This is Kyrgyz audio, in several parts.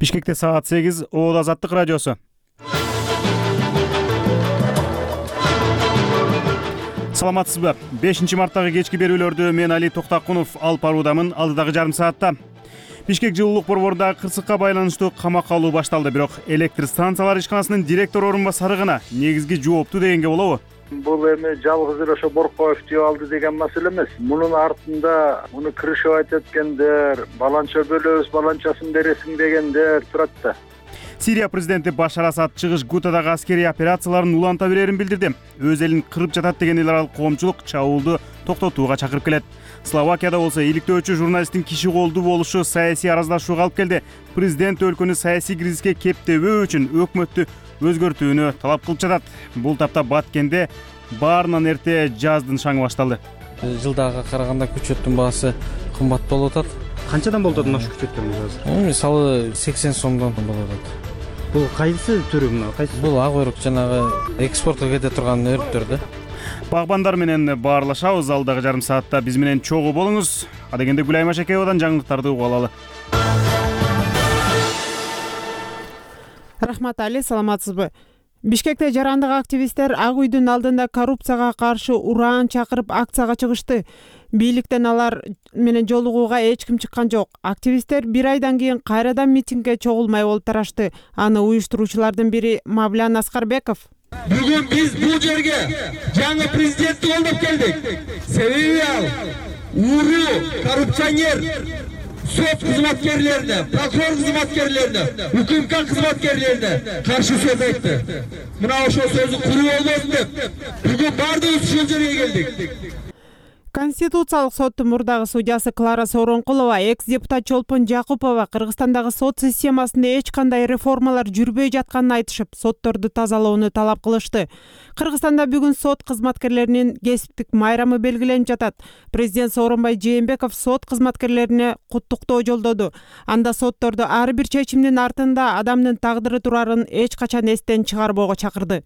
Бишкекте саат 8, Оол Азаттык радиосу. Саламатсызбы? 5-марттагы кечки берүүлөрдү мен Али Токтакунов алып баруудамын. Алдыдагы жарым саатта Бишкек жылуулук борборунда кырсыкка байланыштуу камакка алуу башталды. Бирок электр станциялар ишканасынын директор орун басары гана негизги жоопту дегенге болобу? Бул эми жалгыз эле ошо Боркоев деп алды деген маселе эмес. Мунун артында муну крышевать эткендер, баланча бөлөбүз, баланчасын бересиң дегендер турат да. Сирия президенти Башар Асад чыгыш Гутадагы аскерий операцияларын уланта берерин билдирди. Өз элин кырып жатат деген эл аралык коомчулук чабуулду токтотууга чакырып келет. Словакияда болсо иликтөөчү журналисттин киши колдуу болушу саясий араздашууга алып келди. Президент өлкөнү саясий кризиске кептебөө үчүн өкмөттү өзгөртүүнү талап кылып жатат. Бул тапта Баткенде баарынан эрте жаздын шаңы башталды. Жылдага караганда күчөттүн баасы кымбат болуп атат. Канчадан болуп атат ошо күчөттөн азыр? Мисалы 80 сомдон болуп атат. Бул кайсы түрү мына? Кайсы? Бул ак өрүк жанагы экспортко кете турган өрүктөр да. Багбандар менен баарлашабыз. Алдагы жарым саатта биз менен чогуу болуңуз. Адегенде Гүлайым Ашекеевадан жаңылыктарды угуп алалы. Рахмат Али, саламатсызбы? Бишкекте жарандык активисттер Ак үйдүн алдында коррупцияга каршы ураан чакырып акцияга чыгышты. Бийликтен алар менен жолугууга эч ким чыккан жок. Активисттер бир айдан кийин кайрадан митингге чогулмай болуп тарашты. Аны уюштуруучулардын бири Мавлян Аскарбеков. Бүгүн биз бул жерге жаңы президентти колдоп келдик. Себеби ал уруу коррупционер сот кызматкерлерине, прокурор кызматкерлерине, УКМК кызматкерлерине каршы сөз айтты. Мына ошол сөзү куруу болбосун деп бүгүн баардыгыбыз ушул жерге келдик. Конституциялык соттун мурдагы судьясы Клара Сооронкулова, экс-депутат Чолпон Жакупова Кыргызстандагы сот системасында эч кандай реформалар жүрбөй жатканын айтышып, сотторду тазалоону талап кылышты. Кыргызстанда бүгүн сот кызматкерлеринин кесиптик майрамы белгиленип жатат. Президент Сооронбай Жээнбеков сот кызматкерлерине куттуктоо жолдоду. Анда сотторду ар бир чечимдин артында адамдын тагдыры турарын эч качан эстен чыгарбоого чакырды.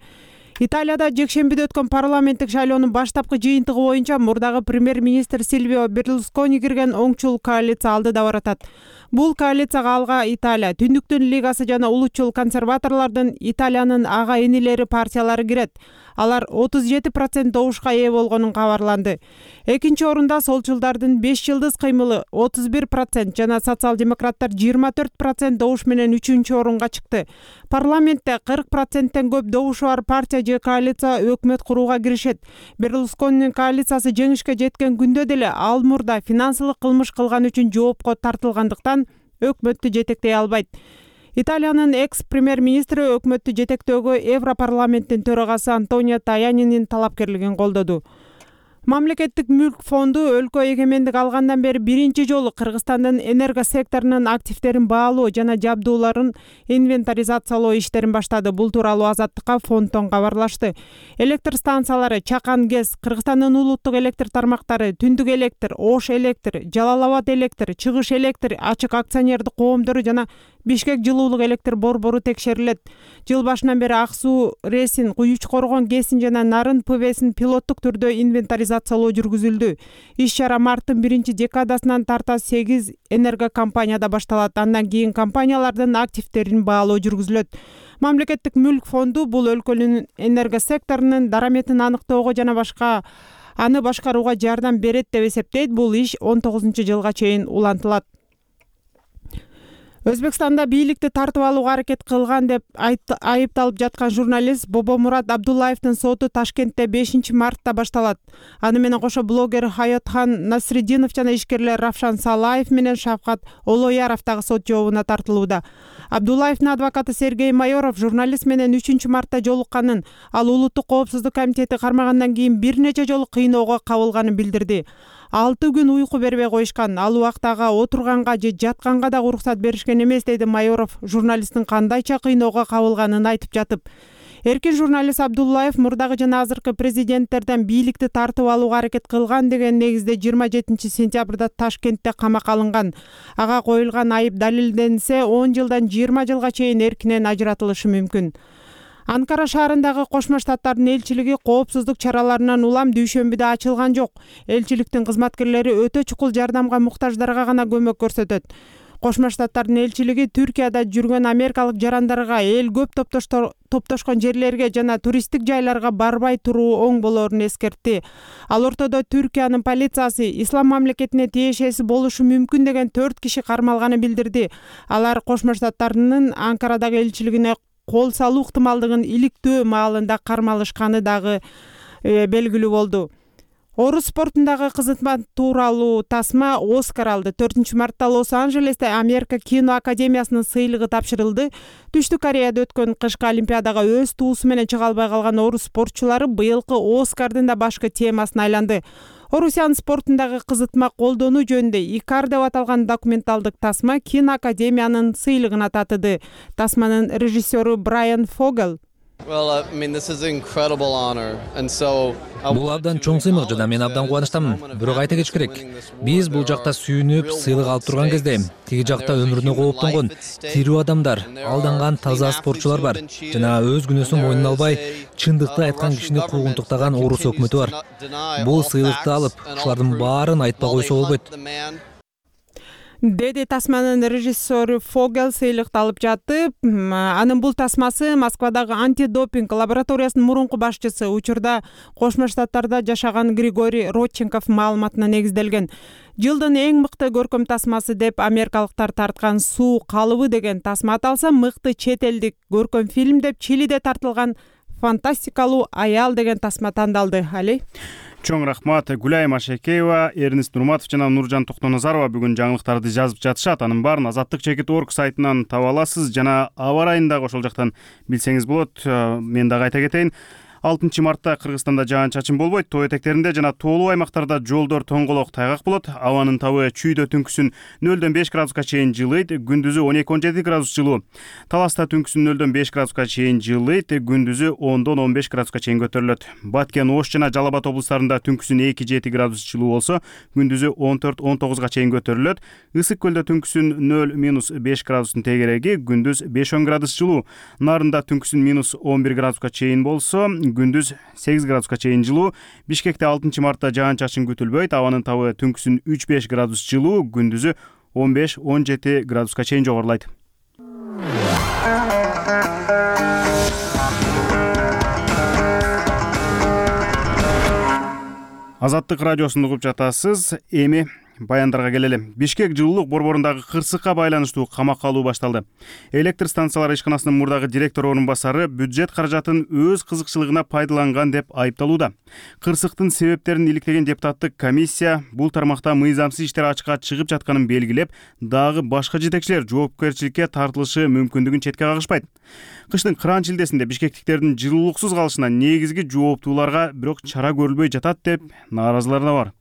Италияда жекшембиде өткөн парламенттик шайлоонун баштапкы жыйынтыгы боюнча мурдагы премьер-министр Сильвио Берлускони кирген оңчул коалиция алдыда баратат. Бул коалицияга алга Италия, Түндүктүн лигасы жана улутчул консерваторлордун Италиянын ага энилери партиялары кирет. Алар 37% добушка ээ болгонун кабарланды. Экинчи орунда солчулдардын 5 жылдыз кыймылы 31% жана социал-демократтар 24% добуш менен 3-чү орунга чыкты. Парламентте 40%тен көп добушу бар партия же коалиция өкмөт курууга киришет. Берлусконинин коалициясы жеңишке жеткен күндө деле ал мурда финансылык кылмыш кылган үчүн жоопко тартылгандыктан өкмөттү жетектей албайт. Италиянын экс-премьер-министри өкмөттү жетектөөгө Европарламенттин төрагасы Антонио Таянинин талапкерлигин колдоду. Мамлекеттик мүлк фонду өлкө эгемендик алгандан бери биринчи жолу Кыргызстандын энерго секторунун активдерин баалоо жана жабдууларын инвентаризациялоо иштерин баштады. Бул тууралуу Азаттыкка фонддон кабарлашты. Электр станциялары Чакан ГЭС, Кыргызстандын улуттук электр тармактары, Түндүк электр, Ош электр, Жалал Абад электр, Чыгыш электр, ачык акционердик коомдору жана Бишкек жылуулук электр борбору текшерилет. Жыл башынан бери Ак суу РЭСин, Куюч Коргон ГЭСин жана Нарын ПВСин пилоттук түрдө инвентаризациялоо жүргүзүлдү. Иш-чара марттын 1-декадасынан тарта 8 энерго компанияда башталат. Андан кийин компаниялардын активдерин баалоо жүргүзүлөт. Мамлекеттик мүлк фонду бул өлкөнүн энерго секторунун дараметин аныктоого жана аны башкарууга жардам берет деп эсептейт. Бул иш 19-жылга чейин улантылат. Өзбекстанда бийликти тартып алууга аракет кылган деп айыпталып жаткан журналист Бобомурат Абдуллаевдин соту Ташкентте 5-мартта башталат. Аны менен кошо блогер Хаятхан Насриддинов жана ишкерлер Равшан Салаев менен Шавкат Олояров дагы сот жообуна тартылууда. Абдуллаевдин адвокаты Сергей Майоров журналист менен 3-мартта жолукканын, ал улуттук коопсуздук комитети кармагандан кийин бир нече жолу кыйноого кабылганын билдирди. 6 күн уйку бербей коюшкан. Ал убактага отурганга же жатканга да уруксат беришкен эмес, деди Майоров журналисттин кандайча кыйноого кабылганын айтып жатып. Эркин журналист Абдуллаев мурдагы жана азыркы президенттерден бийликти тартып алууга аракет кылган деген негизде 27-сентябрда Ташкентте камакка алынган. Ага коюлган айып далилденсе 10 жылдан 20 жылга чейин эркинен ажыратылышы мүмкүн. Анкара шаарындагы Кошмо Штаттардын элчилиги коопсуздук чараларынан улам дүйшөмбүдө ачылган жок. Элчиликтин кызматкерлери өтө чукул жардамга муктаждарга гана көмөк көрсөтөт. Кошмо Штаттардын элчилиги Түркияда жүргөн америкалык жарандарга эл көп топтошкон жерлерге жана туристтик жайларга барбай туруу оң болорун эскертти. Ал ортодо Түркиянын полициясы ислам мамлекетине тиешеси болушу мүмкүн деген 4 киши кармалганын билдирди. Алар Кошмо Штаттардын Анкарадагы элчилигине кол салуу ыктымалдыгын иликтөө маалында кармалышканы дагы белгилүү болду. Орус спортундагы кызмат тууралуу тасма Оскар алды. 4 мартта Лос-Анджелесте Америка кино академиясынын сыйлыгы тапшырылды. Түштүк Кореяда өткөн кышкы олимпиадага өз туусу менен чыга албай калган орус спортчулары быйылкы Оскардын да башкы темасына айланды. Орусиянын спортундагы кызытма колдонуу жөнүндө Икар деп аталган документалдык тасма кино академиянын сыйлыгына татыды. Тасманын режиссеру Брайан Фогел Бул абдан чоң сыймык жана мен абдан кубанычтамын. Бирок айта кетиш керек, биз бул жакта сүйүнүп, сыйлык алып турган кезде тиги жакта өмүрүнө кооптонгон тирүү адамдар, алданган таза спортчулар бар жана өз күнөөсүн мойнуна албай, чындыкты айткан кишини куугунтуктаган орус өкмөтү бар. Бул сыйлыкты алып, ушулардын баарын айтпай койсо болбойт. Деди тасманын режиссеру Фогел сыйлыкты алып жатып, анын бул тасмасы Москвадагы антидопинг лабораториясынын мурунку башчысы, учурда Кошмо Штаттарда жашаган Григорий Родченков маалыматына негизделген. Жылдын эң мыкты көркөм тасмасы деп америкалыктар тарткан Суу калыбы деген тасма аталса, мыкты чет элдик көркөм фильм деп Чилиде тартылган Фантастикалуу аял деген тасма тандалды. Али Чоң рахмат. Гүлай Машекеева, Эрнест Нурматов жана Нуржан Токтоназарова бүгүн жаңылыктарды жазып жатышат. Анын баарын Азаттык.org сайтынан таба аласыз жана аба райын дагы ошол жактан билсеңиз болот. Мен дагы айта кетейин. 6 мартта Кыргызстанда жаан-чачын болбойт. Тоо этектеринде жана тоолуу аймактарда жолдор тоңголок тайгак болот. Абанын табы чүйдө түнкүсүн 0-5 градуска чейин жылыйт, күндүзү 12-17 градус жылуу. Таласта түнкүсүн 0-5 градуска чейин жылыйт, күндүзү 10-15 градуска чейин көтөрүлөт. Баткен, Ош жана Жалал Абад облустарында түнкүсүн 2-7 градус жылуу болсо, күндүзү 14-19 чейин көтөрүлөт. Ысык көлдө түнкүсүн 0-5 градустун тегереги, күндүз 5-10 градус жылуу. Нарында түнкүсүн -11 градуска чейин болсо, күндүз 8 градуска чейин жылуу. Бишкекте 6 мартта жаан-чачын күтүлбөйт. Абанын табы түнкүсүн 3-5 градус жылуу, күндүзү 15-17 градуска чейин жогорулайт. Азаттык радиосун угуп жатасыз. Эми баяндарга келели. Бишкек жылуулук борборундагы кырсыкка байланыштуу камакка алуу башталды. Электр станциялары ишканасынын мурдагы директор орун басары бюджет каражатын өз кызыкчылыгына пайдаланган деп айыпталууда. Кырсыктын себептерин иликтеген депутаттык комиссия бул тармакта мыйзамсыз иштер ачыкка чыгып жатканын белгилеп, дагы башка жетекчилер жоопкерчиликке тартылышы мүмкүндүгүн четке кагышпайт. Кыштын кыран шилдесинде бишкектиктердин жылуулуксуз калышына негизги жооптууларга бирок чара көрүлбөй жатат деп нааразылар да бар.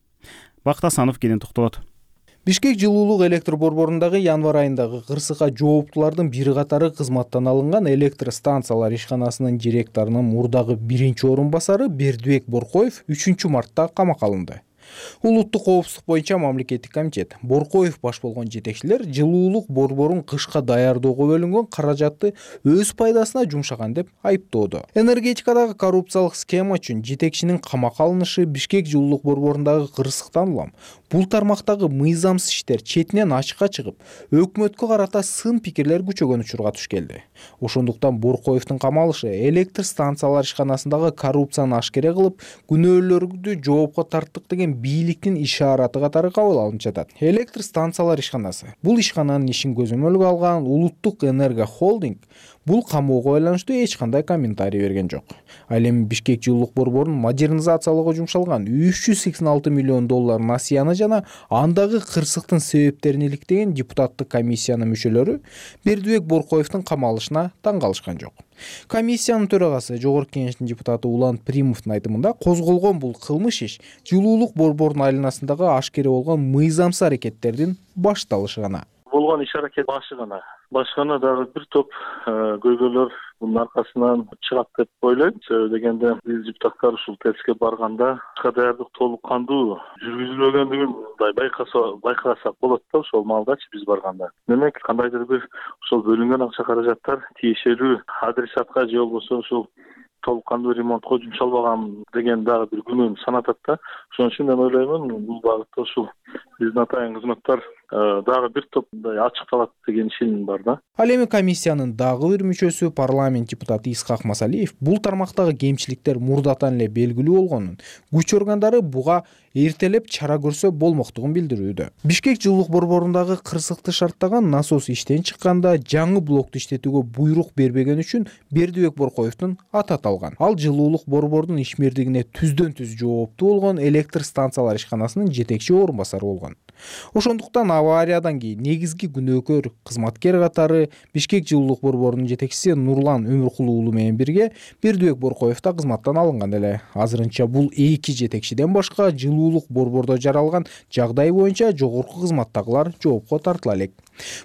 Бакыт Асанов кенен токтолот. Бишкек жылуулук электр борборундагы январь айындагы кырсыкка жооптуулардын бир катары кызматтан алынган электр станциялар ишканасынын директорунун мурдагы 1-орун басары Бердибек Боркоев 3 мартта камакка алынды. Улуттук коопсуздук боюнча мамлекеттик комитет Боркоев баш болгон жетекчилер жылуулук борборун кышка даярдоого бөлүнгөн каражатты өз пайдасына жумшаган деп айыптоодо. Энергетикадагы коррупциялык схема үчүн жетекчинин камакка алынышы Бишкек жылуулук борборундагы кырсыктан улам бул тармактагы мыйзамсыз иштер четинен ачыкка чыгып, өкмөткө карата сын пикирлер күчөгөн учурга туш келди. Ошондуктан Боркоевдин камалышы электр станциялар ишканасындагы коррупцияны ашкере кылып, күнөөлөрдү жоопко тарттык деген бийликтин ишараты катары кабыл алынып жатат. Электр станциялар ишканасы бул ишкананын ишин көзөмөлгө алган Улуттук энерго холдинг бул камоого байланыштуу эч кандай комментарий берген жок. Ал эми Бишкек жылуулук борборун модернизациялоого жумшалган 386 миллион доллар насыяны жана андагы кырсыктын себептерин иликтеген депутаттык комиссиянын мүчөлөрү Бердибек Боркоевдин камалышына таң калышкан жок. Комиссиянын төрагасы Жогорку Кеңештин депутаты Улан Примовдун айтымында козголгон бул кылмыш иш жылуулук борборунун айланасындагы ашкере болгон мыйзамсыз аракеттердин башталышы гана. Болгон иш-аракет башкана дагы бир топ көйгөйлөр мунун аркасынан чыгат деп ойлойм. Себеби дегенде биз депутаттар ушул тестке барганда даярдык толук кандуу жүргүзүлбөгөндүгүн байкасак болот да ошол маалдачы биз барганда. Демек кандайдыр бир ошол бөлүнгөн акча каражаттар тиешелүү адресатка же болбосо ушул толук кандуу ремонтко жумшалбаган деген дагы бир күнөөнү санатат да. Ошон үчүн мен ойлоймун бул багытта ушул биздин атайын кызматтар дагы бир топ мындай ачыкталат деген ишеним бар да. Ал эми комиссиянын дагы бир мүчөсү парламент депутаты Исхак Масалиев бул тармактагы кемчиликтер мурдатан эле белгилүү болгонун, күч органдары буга эртелеп чара көрсө болмоктугун билдирүүдө. Бишкек жылуулук борборундагы кырсыкты шарттаган насос иштен чыкканда жаңы блокту иштетүүгө буйрук бербеген үчүн Бердибек Боркоевдун аты аталган. Ал жылуулук борборунун ишмердигине түздөн түз жооптуу болгон электр станциялар ишканасынын жетекчи орун басары болгон. Ошондуктан авариядан кийин негизги күнөөкөр кызматкер катары Бишкек жылуулук борборунун жетекчиси Нурлан Өмүркул уулу менен бирге Бердибек Боркоев да кызматтан алынган эле. Азырынча бул эки жетекчиден башка жылуулук борбордо жаралган жагдай боюнча жогорку кызматтагылар жоопко тартыла элек.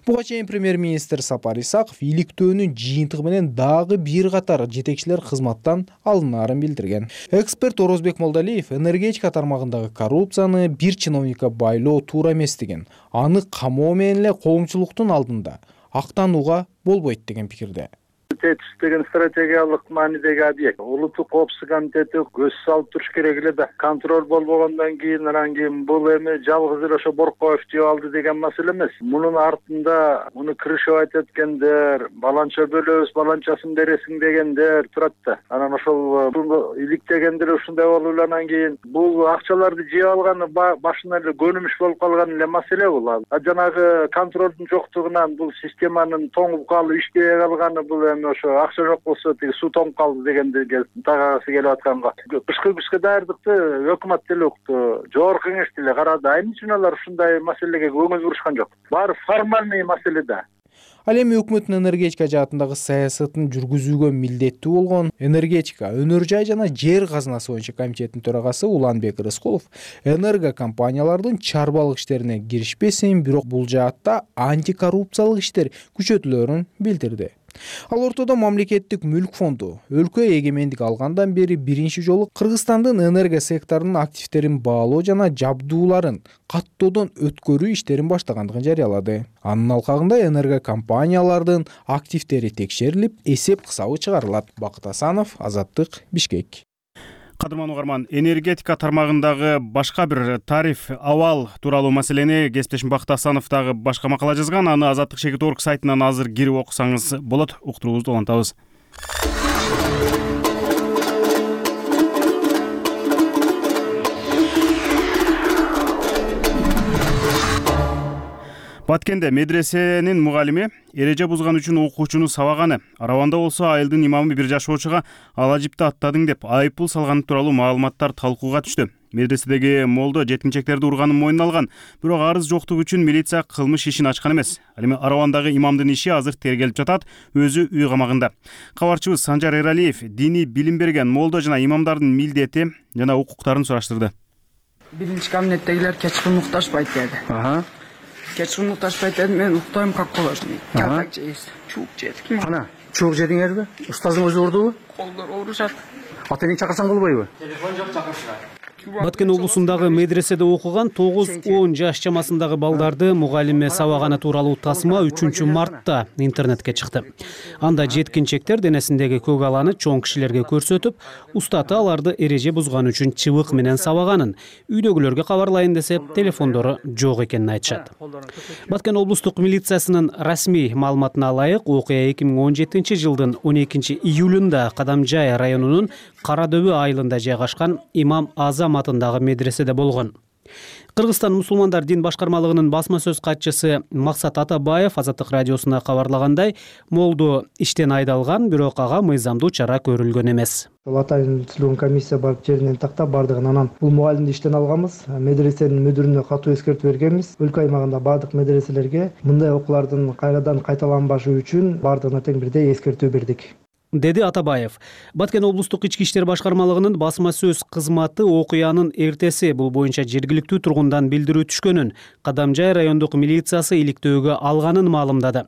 Буга чейин премьер-министр Сапар Исаков иликтөөнүн жыйынтыгы менен дагы бир катар жетекчилер кызматтан алынаарын билдирген. Эксперт Орозбек Молдалиев энергетика тармагындагы коррупцияны бир чиновникке байлоо туура эмес деген, аны камоо менен эле коомчулуктун алдында актанууга болбойт деген пикирде. ТЭЦ деген стратегиялык маанидеги объект. Улуттук коопсуздук комитети көз салып туруш керек эле да. Контроль болбогондон кийин анан кийин бул эми жалгыз эле ошо Боркоев жеп алды деген маселе эмес. Мунун артында муну крышевать эткендер, баланча бөлөбүз, баланчасын бересиң дегендер турат да. Анан ошол иликтегендер ушундай болуп эле анан кийин бул акчаларды жеп алганы башынан эле көнүмүш болуп калган эле маселе бул. Жанагы контролдун жоктугунан бул системанын тоңуп калып иштебей калганы бул эми ошо акча жок болсо тиги суу тоңуп калды дегенди тагасы келип атканга. Кышкы күзгө даярдыкты өкмөт деле укту, жогорку кеңеш деле карады. Айнын үчүн алар ушундай маселеге көңүл бурушкан жок. Баары формальный маселе да. Ал эми өкмөттүн энергетика жаатындагы саясатын жүргүзүүгө милдеттүү болгон энергетика, өнөр жай жана жер казынасы боюнча комитеттин төрагасы Уланбек Рыскулов энерго компаниялардын чарбалык иштерине киришпесин, бирок бул жаатта антикоррупциялык иштер күчөтүлөрүн билдирди. Ал ортодо мамлекеттик мүлк фонду өлкө эгемендик алгандан бери биринчи жолу Кыргызстандын энерго секторунун активтерин баалоо жана жабдууларын каттоодон өткөрүү иштерин баштагандыгын жарыялады. Анын алкагында энерго компаниялардын активтери текшерилип, эсеп кысабы чыгарылат. Бакыт Асанов, Азаттык, Бишкек. Кадырман угарман, энергетика тармагындагы башка бир тариф абал тууралуу маселени кесиптешим Бакыт Асанов дагы башка макала жазган. Аны Азаттык Шекит.орг сайтынан азыр кирип окусаңыз болот. Уктуруубузду улантабыз. Баткенде медресенин мугалими эреже бузган үчүн окуучуну сабаганы, Араванда болсо айылдын имамы бир жашоочуга ала жипти аттадың деп айыппул салганы тууралуу маалыматтар талкууга түштү. Медреседеги молдо жеткинчектерди урганын мойнуна алган, бирок арыз жоктугу үчүн милиция кылмыш ишин ачкан эмес. Ал эми Аравандагы имамдын иши азыр тергелип жатат, өзү үй камагында. Кабарчыбыз Санжар Эралиев диний билим берген молдо жана имамдардын милдети жана укуктарын сураштырды. Биринчи кабинеттегилер кечкурун укташпайт деди. Кечкурун укташпайт деди, мен уктайм как положено. Так жейсиз. Чуук жедик. Ана, чуук жедиңерби? Устазың өзү урдубу? Колдор оорушат. Ата эне чакырсаң болбойбу? Телефон жок, чакырышат. Баткен облусундагы медреседе окуган 9-10 жаш чамасындагы балдарды мугалиме сабаганы тууралуу тасма 3-мартта интернетке чыкты. Анда жеткинчектер денесиндеги көк аланы чоң кишилерге көрсөтүп, устаты аларды эреже бузган үчүн чыбык менен сабаганын, үйдөгүлөргө кабарлайын десе, телефондору жок экенин айтышат. Баткен облустук милициясынын расмий маалыматына ылайык, окуя 2017-жылдын 12-июлунда Кадамжай районунун Карадөбү айылында жайгашкан Имам Азам атындагы медреседе болгон. Кыргызстан мусулмандар дин башкармалыгынын басма сөз катчысы Максат Атабаев Азаттык радиосуна кабарлагандай, молду иштен айдалган, бирок ага мыйзамдуу чара көрүлгөн эмес. Атайын түзүлгөн комиссия барып жеринен тактап бардыгын, анан бул мугалимди иштен алганбыз. Медресенин мүдүрүнө катуу эскертүү бергенбиз. Өлкө аймагында бардык медреселерге мындай окуулардын кайрадан кайталанбашы үчүн бардыгына тең бирдей эскертүү бердик, деди Атабаев. Баткен облустук ички иштер башкармалыгынын басма сөз кызматы окуянын эртеси бул боюнча жергиликтүү тургундан билдирүү түшкөнүн, Кадамжай райондук милициясы иликтөөгө алганын маалымдады.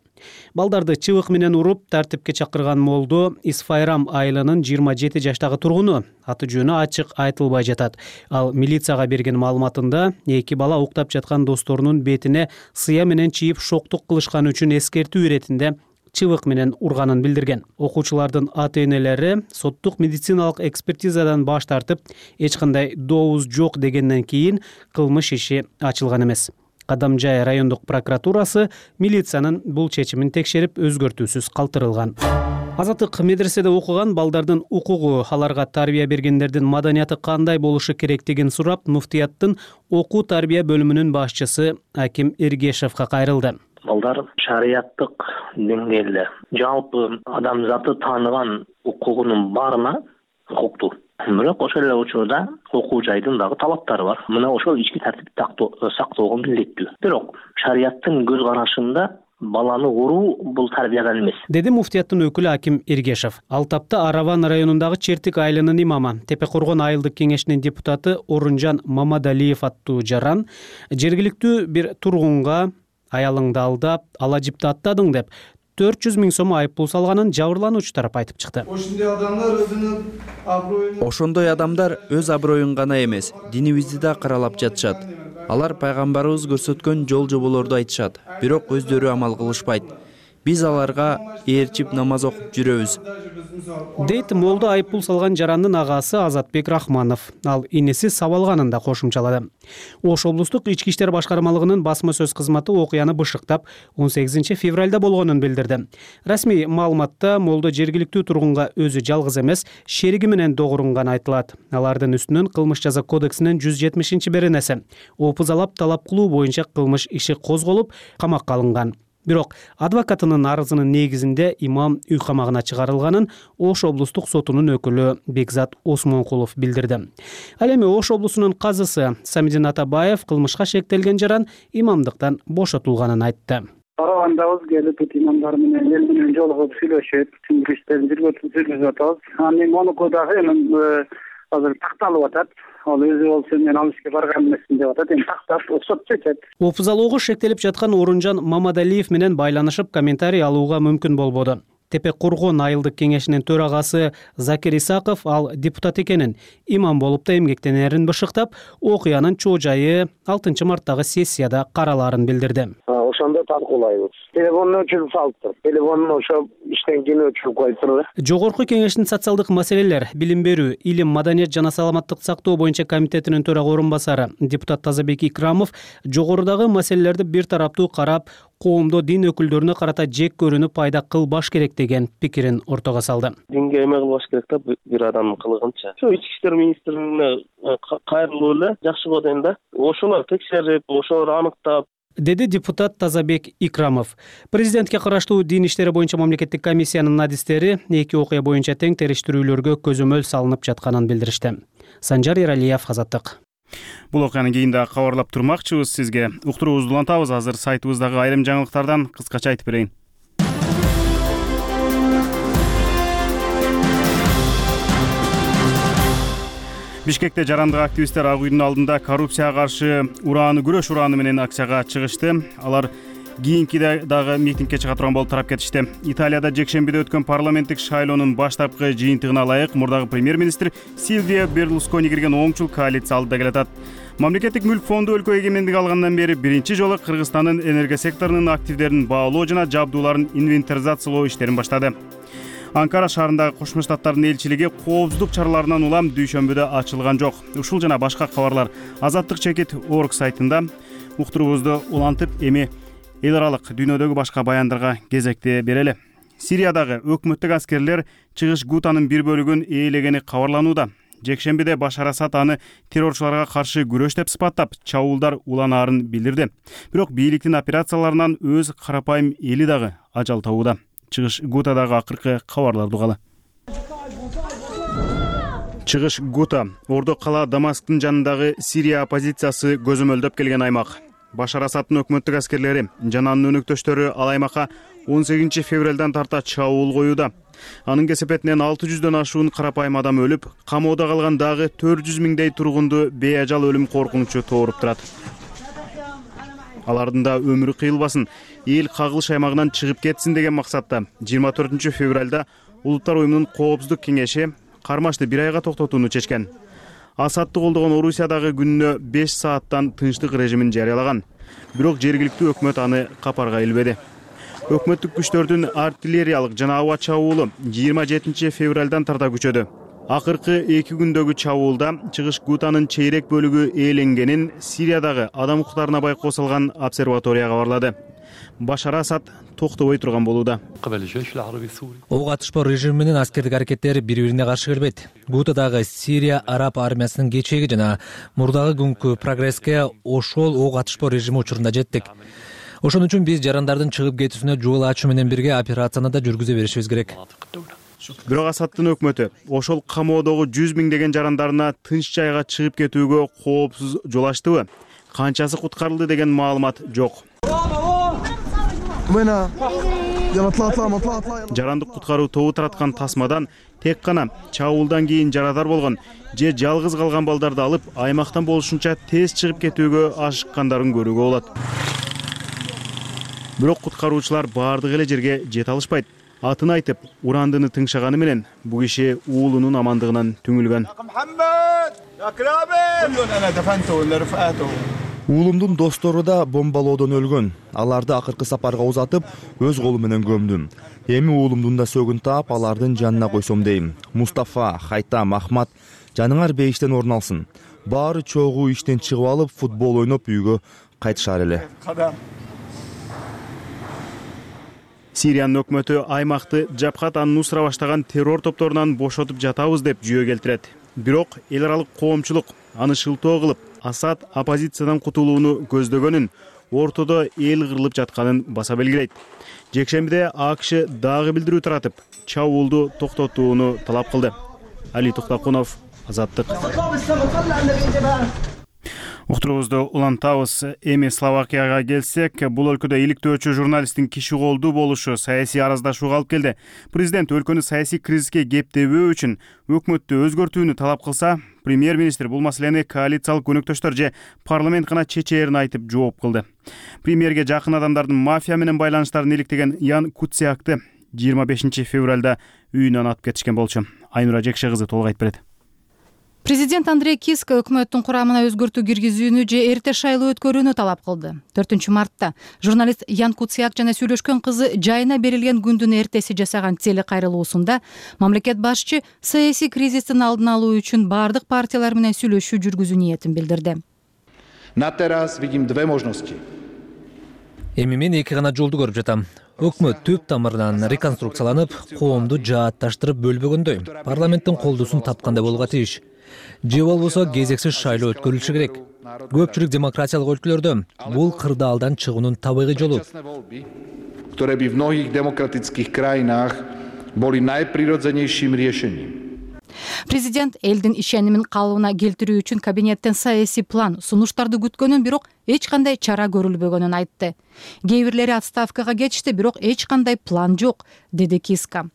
Балдарды чыбык менен уруп тартипке чакырган молдо Исфайрам айылынын 27 жаштагы тургуну, аты жөнү ачык айтылбай жатат. Ал милицияга берген маалыматында эки бала уктап жаткан досторунун бетине сыя менен чийип шоктук кылышканы үчүн эскертүү иретинде чыбык менен урганын билдирген. Окуучулардын ата-энелери соттук медициналык экспертизадан баш тартып, эч кандай добуз жок дегенден кийин кылмыш иши ачылган эмес. Кадамжай райондук прокуратурасы милициянын бул чечимин текшерип өзгөртүүсүз калтырылган. Азаттык медреседе окуган балдардын укугу, аларга тарбия бергендердин маданияты кандай болушу керектигин сурап, муфтияттын окуу тарбия бөлүмүнүн башчысы Аким Эргешевге кайрылды. Балдар шарияттык деңгээлде жалпы адамзаты тааныган укугунун баарына укуктуу. Бирок ошол эле учурда окуу жайдын дагы талаптары бар. Мына ошол ички тартипти сактоого милдеттүү. Бирок шарияттын көз карашында баланы уруу бул тарбиядан эмес, деди муфтияттын өкүлү Аким Эргешев. Ал тапта Араван районундагы Чертик айылынын имамы, Тепе Коргон айылдык кеңешинин депутаты Орунжан Мамадалиев аттуу жаран жергиликтүү бир тургунга аялыңды алдап, ала жипти аттадың деп 400 000 сом айыппул салганын жабырлануучу тарап айтып чыкты. Ошондой адамдар өз аброюн гана эмес, динибизди да каралап жатышат. Алар пайгамбарыбыз көрсөткөн жол жоболорду айтышат, бирок өздөрү амал кылышпайт. Биз аларга ээрчип намаз окуп жүрөбүз. Дейт молдо айыппул салган жарандын агасы Азатбек Рахманов. Ал иниси Сабалганын да кошумчалады. Ош облустук ички иштер башкармалыгынын басма сөз кызматы окуяны бышыктап 18 февралда болгонун билдирди. Расмий маалыматта молдо жергиликтүү тургунга өзү жалгыз эмес, шериги менен догурунган айтылат. Алардын үстүнөн кылмыш жаза кодексинин 170-беренеси опузалап талап кылуу боюнча кылмыш иши козголуп, камакка алынган. Бирок адвокатынын арызынын негизинде имам үй камагына чыгарылганын Ош облустук сотунун өкүлү Бекзат Осмонкулов билдирди. Ал эми Ош облусунун казысы Самидин Атабаев кылмышка шектелген жаран имамдыктан бошотулганын айтты. Аравандабыз келип имамдар менен эл менен жолугуп сүйлөшүп, түшүндүрүштөрүн жүргүзүп атабыз. Анын монуку дагы эми азыр такталып атат. Ал өзү болсо мен ал ишке барган эмесмин деп атат. Эми тактап сот чечет. Опузалоого шектелип жаткан Орунжан Мамадалиев менен байланышып комментарий алууга мүмкүн болбоду. Тепе Коргон айылдык кеңешинин төрагасы Закир Исаков ал депутат экенин, имам болуп да эмгектенерин бышыктап, окуянын чоо жайы 6 марттагы сессияда каралаарын билдирди. Ошондо талкуулайбыз. Телефонун өчүрүп салыптыр. Телефонун ошо иштен кийин өчүрүп коюптур. Жогорку кеңештин социалдык маселелер, билим берүү, илим, маданият жана саламаттык сактоо боюнча комитетинин төрага орун басары депутат Тазабек Икрамов жогорудагы маселелерди бир тараптуу карап, коомдо дин өкүлдөрүнө карата жек көрүүнү пайда кылбаш керек деген пикирин ортого салды. Динге эме кылбаш керек да бир адамдын кылыгынча. Ошо ички иштер министрлигине кайрылуу эле жакшы болот экен да. Ошолор текшерип, ошолор аныктап, деди депутат Тазабек Икрамов. Президентке караштуу дин иштери боюнча мамлекеттик комиссиянын адистери эки окуя боюнча тең териштирүүлөргө көзөмөл салынып жатканын билдиришти. Санжар Эралиев, Азаттык. Бул окуяны кийин да кабарлап турмакчыбыз сизге. Уктуруубузду улантабыз. Азыр сайтыбыздагы айрым жаңылыктардан кыскача айтып берейин. Бишкекте жарандык активисттер Ак үйдүн алдында коррупцияга каршы күрөш урааны менен акцияга чыгышты. Алар кийинки дагы митингге чыга турган болуп тарап кетишти. Италияда жекшембиде өткөн парламенттик шайлоонун баштапкы жыйынтыгына ылайык мурдагы премьер-министр Силвио Берлускони кирген оңчул коалиция алдыда келатат. Мамлекеттик мүлк фонду өлкө эгемендик алгандан бери биринчи жолу Кыргызстандын энергия секторунун активдерин баалоо жана жабдууларын инвентаризациялоо иштерин баштады. Анкара шаарындагы Кошмо Штаттардын элчилиги коопсуздук чараларынан улам дүйшөмбүдө ачылган жок. Ушул жана башка кабарлар azattik.org сайтында. Уктуруубузду улантып, эми эл аралык дүйнөдөгү башка баяндарга кезекти берели. Сириядагы өкмөттүк аскерлер чыгыш Гутанын бир бөлүгүн ээлегени кабарланууда. Жекшембиде Башар Асад аны террорчуларга каршы күрөш деп сыпаттап, чабуулдар уланаарын билдирди. Бирок бийликтин операцияларынан өз карапайым эли дагы ажал табууда. Чыгыш Гутадагы акыркы кабарларды угалы. Чыгыш Гута Ордо кала Дамасктын жанындагы Сирия оппозициясы көзөмөлдөп келген аймак. Башар Асадтын өкмөттүк аскерлери жана анын өнөктөштөрү ал аймакка 18 февралдан тарта чабуул коюуда. Анын кесепетинен 600дөн ашуун карапайым адам өлүп, камоодо калган дагы 400 миңдей тургунду бейажал өлүм коркунучу тооруп турат. Алардын да өмүрү кыйылбасын, эл кагылыш аймагынан чыгып кетсин деген максатта 24 февралда Улуттар уюмунун коопсуздук кеңеши кармашты 1 айга токтотууну чечкен. Асадты колдогон Орусиядагы күнүнө 5 сааттан тынчтык режимин жарыялаган. Бирок жергиликтүү өкмөт аны капарга илбеди. Өкмөттүк күчтөрдүн артиллериялык жана аба чабуулу 27 февралдан тарта күчөдү. Акыркы 2 күндөгү чабуулда чыгыш Гутанын чейрек бөлүгү ээленгенин Сириядагы адам укуктарына байкоо салган обсерватория кабарлады. Башар Асад токтобой турган болууда. Ок атышпоо режими менен аскердик аракеттер бири-бирине каршы келбейт. Гутадагы Сирия араб армиясынын кечеги жана мурдагы күnkү прогресске ошол ок атышпоо режими учурунда жеттик. Ошон үчүн биз жарандардын чыгып кетүүсүнө жол ачуу менен бирге операцияны да жүргүзө беришибиз керек. Бирок Асадтын өкмөтү ошол камоодогу 100 миңдеген жарандарына тынч жайга чыгып кетүүгө коопсуз жол ачтыбы? Канчасы куткарылды деген маалымат жок. Жарандык куткаруу тобу тараткан тасмадан тек гана чабуулдан кийин жарадар болгон же жалгыз калган балдарды алып, аймактан болушунча тез чыгып кетүүгө ашыккандарын көрүүгө болот. Бирок куткаруучулар баардык эле жерге жете алышпайт. Атын айтып, урандыны тыңшаганы менен бул киши уулунун амандыгынан түңүлгөн. Уулумдун достору да бомбалоодон өлгөн. Аларды акыркы сапарга узатып, өз колу менен көмдүм. Эми уулумдун да сөгүн таап, алардын жанына койсом дейм. Мустафа, Хайтам, Ахмат, жаныңар бейиштен орун алсын. Баары чогуу иштен чыгып алып, футбол ойноп үйгө кайтышар эле. Сириянын өкмөтү аймакты Жабхат ан-Нусра баштаган террор топторунан бошотуп жатабыз деп жүйө келтирет. Бирок эл аралык коомчулук аны шылтоо кылып, Асад оппозициядан кутулууну көздөгөнүн, ортодо эл кырылып жатканын баса белгилейт. Жекшембиде АКШ дагы билдирүү таратып, чабуулду токтотууну талап кылды. Али Токтокунов, Азаттык. Уктуруубузду улантабыз. Эми Словакияга келсек, бул өлкөдө иликтөөчү журналисттин киши колдуу болушу саясий араздашууга алып келди. Президент өлкөнү саясий кризиске кептебөө үчүн өкмөттү өзгөртүүнү талап кылса, премьер-министр бул маселени коалициялык өнөктөштөр же парламент гана чечээрин айтып жооп кылды. Премьерге жакын адамдардын мафия менен байланыштарын иликтеген Ян Куциакты 25 февралда үйүнөн атып кетишкен болчу. Айнура Жекше кызы толук айтып берет. Президент Андрей Киска өкмөттүн курамына өзгөртүү киргизүүнү же эрте шайлоо өткөрүүнү талап кылды. 4-мартта журналист Ян Куциак жана сүйлөшкөн кызы жайына берилген күндүн эртеси жасаган телекайрылуусунда мамлекет башчы саясий кризистин алдын алуу үчүн бардык партиялар менен сүйлөшүү жүргүзүү ниетин билдирди. На терас видим две можности. Эми мен эки гана жолду көрүп жатам. Өкмөт түп тамырынан реконструкцияланып, коомду жаатташтырып бөлбөгөндөй, парламенттин колдуусун тапкандай болууга тийиш. Же болбосо кезексиз шайлоо өткөрүлүшү керек. Көпчүлүк демократиялык өлкөлөрдө бул кырдаалдан чыгуунун табигый жолу. Которые би в многих демократических краинах были најприродзенейшим решением. Президент элдин ишенимин калыбына келтирүү үчүн кабинеттен саясий план, сунуштарды күткөнүн, бирок эч кандай чара көрүлбөгөнүн айтты. Кээ бирлери отставкага кетишти, бирок эч кандай план жок, деди Киска.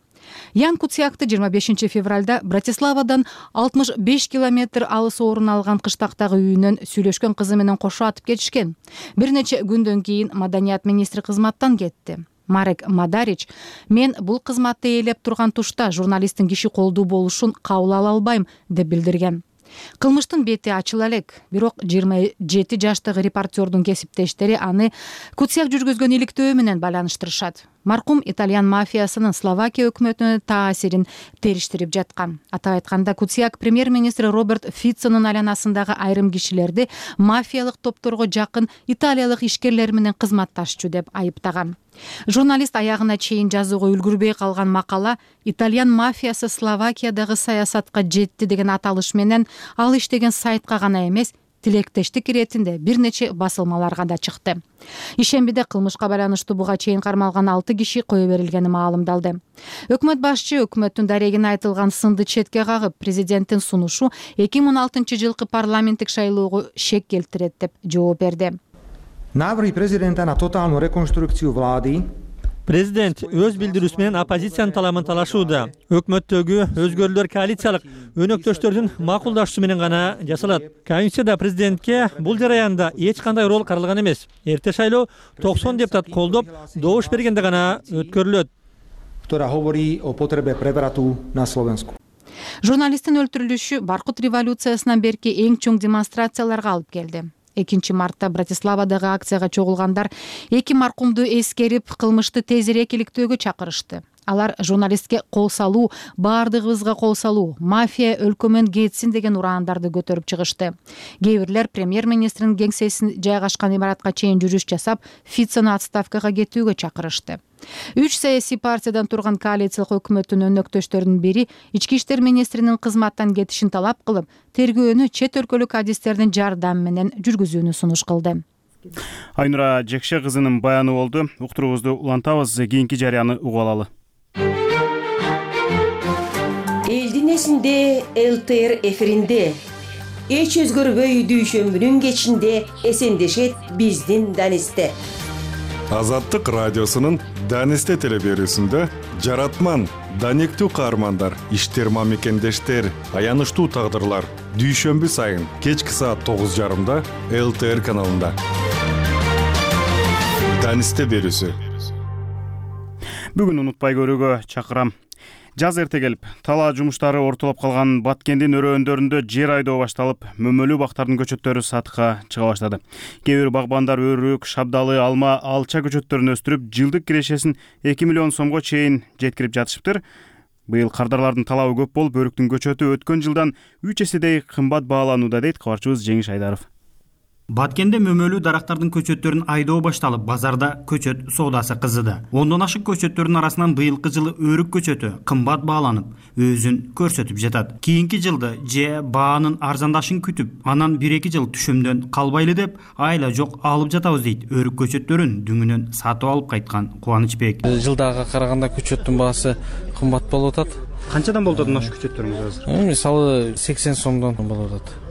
Ян Куциакты 25 февралда Братиславадан 65 километр алыс орун алган кыштактагы үйүнөн сүйлөшкөн кызы менен кошо атып кетишкен. Бир нече күндөн кийин маданият министри кызматтан кетти. Марек Мадарич: "Мен бул кызматты ээлеп турган тушта журналисттин киши колдуу болушун кабыл ала албайм", деп билдирген. Кылмыштын бети ачыла элек, бирок 27 жаштагы репортердун кесиптештери аны Куциак жүргүзгөн иликтөө менен байланыштырышат. Маркум итальян мафиясынын Словакия өкмөтүнө таасирин териштирип жаткан. Атап айтканда, Куциак премьер-министр Роберт Фицонун айланасындагы айрым кишилерди мафиялык топторго жакын италиялык ишкерлер менен кызматташчу деп айыптаган. Журналист аягына чейин жазууга үлгүрбөй калган макала "Итальян мафиясы Словакиядагы саясатка жетти" деген аталыш менен ал иштеген сайтка гана эмес, тилектештик иретинде бир нече басылмаларга да чыкты. Ишембиде кылмышка байланыштуу буга чейин кармалган 6 киши кое берилгени маалымдалды. Өкмөт башчы өкмөттүн дарегине айтылган сынды четке кагып, президенттин сунушу 2016 жылкы парламенттик шайлоого шек келтирет деп жооп берди. Návrhy prezidenta na totálnu rekonštrukciu vlády. Президент өз билдирүүсү менен оппозициянын талабын талашууда. Өкмөттөгү өзгөрүүлөр коалициялык өнөктөштөрдүн макулдашуусу менен гана жасалат. Конституцияда президентке бул жараянда эч кандай рол каралган эмес. Эрте шайлоо 90 депутат колдоп, добуш бергенде гана өткөрүлөт. Ktorá hovorí o potrebe prevratu na Slovensku. Журналисттин өлтүрүлүшү Баркут революциясынан берки эң чоң демонстрацияларга алып келди. 2-мартта Братиславадагы акцияга чогулгандар 2 маркумду эскерип, кылмышты тезирээк иликтөөгө чакырышты. Алар журналистке кол салуу, баардыгыбызга кол салуу, мафия өлкөмөн кетсин деген ураандарды көтөрүп чыгышты. Кээ бирлер премьер-министрдин кеңсесин жайгашкан имаратка чейин жүрүш жасап, Фицону отставкага кетүүгө чакырышты. 3 саясий партиядан турган коалициялык өкмөттүн өнөктөштөрүнүн бири ички иштер министринин кызматтан кетишин талап кылып, тергөөнү чет өлкөлүк адистердин жардамы менен жүргүзүүнү сунуш кылды. Айнура Жекше кызынын баяны болду. Уктуруубузду улантабыз, кийинки жарыяны угуп алалы. Элдин эсинде ЛТР эфиринде эч өзгөрбөй дүйшөмбүнүн кечинде эсендешет биздин Данисте. Азаттык радиосунун Данисте телеберүүсүндө жаратман, даниктүү каармандар, иштер мамекендештер, аянычтуу тагдырлар дүйшөмбү сайын кечки саат 9:30 ЛТР каналында. Данисте берүүсү. Бүгүн унутпай көрүүгө чакырам. Жаз эрте келип, талаа жумуштары ортолоп калган Баткендин өрөөндөрүндө жер айдоо башталып, мөмөлүү бактардын көчөттөрү сатыкка чыга баштады. Кээ бир багбандар өрүк, шабдалы, алма, алча көчөттөрүн өстүрүп, жылдык кирешесин 2 миллион сомго чейин жеткирип жатышыптыр. Быйыл кардарлардын талабы көп болуп, өрүктүн көчөтү өткөн жылдан 3 эседей кымбат бааланууда, дейт кабарчыбыз Жеңиш Айдаров. Баткенде мөмөлүү дарактардын көчөттөрүн айдоо башталып, базарда көчөт соодасы кызыды. 10дон ашык көчөттөрдүн арасынан быйылкы жылы өрүк көчөтү кымбат бааланып, өзүн көрсөтүп жатат. Кийинки жылды же баанын арзандашын күтүп, анан 1-2 жыл түшөмдөн калбайлы деп, айла жок алып жатабыз дейт. Өрүк көчөттөрүн дүңүнөн сатып алып кайткан Кубанычбек. Жылдагы караганда көчөттүн баасы кымбат болуп атат. Канчадан болуп атат аш көчөттөрүңүз азыр? Мисалы 80 сомдон болуп атат.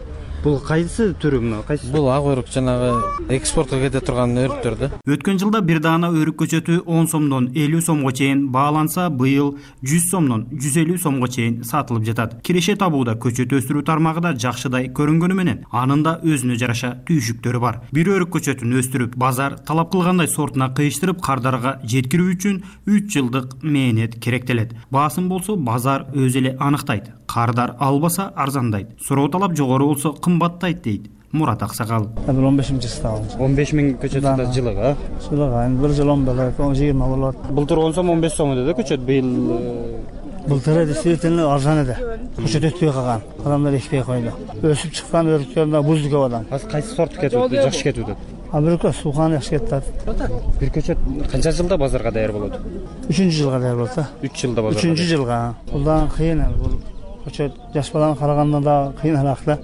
Бул кайсы түрү мына? Кайсы? Бул ак өрүк, жанагы экспортко кете турган өрүктөр да. Өткөн жылда бир даана өрүк көчөтү 10 сомдон 50 сомго чейин бааланса, быйыл 100 сомдон 150 сомго чейин сатылып жатат. Киреше табууда көчөт өстүрүү тармагында жакшыдай көрүнгөнү менен, анын да өзүнө жараша түйшүктөрү бар. Бир өрүк көчөтүн өстүрүп, базар талап кылгандай сортуна кыйыштырып, кардарга жеткирүү үчүн 3 жылдык мээнет керектелет. Баасын болсо базар өзү эле анықтайт. Кардар албаса арзандайт. Суроо талап жогору болсо кымбаттайт дейт Мурат Аксакал. 15-жылда. 15 миң көчөт жылыга. Жылыга бир жыл 10 болот, 20 болот. Былтыр 10 сом 15 сом эди көчөт, быйыл Былтыр действительно арзан эди. Көчөт өтпөй калган. Адамдар экпей койду. Өсүп чыккан өрүктөрдө буздук абадан. Азыр кайсы сорт кетип, жакшы кетип атат? Бирөө суухан жакшы кетип атат. Бир көчөт канча жылда базарга даяр болот? 3-жылга даяр болот. 3 жылда базарга. 3-жылга. Булдан кыйын бул. Көчөт жаш баланы караганда да кыйыныраак да.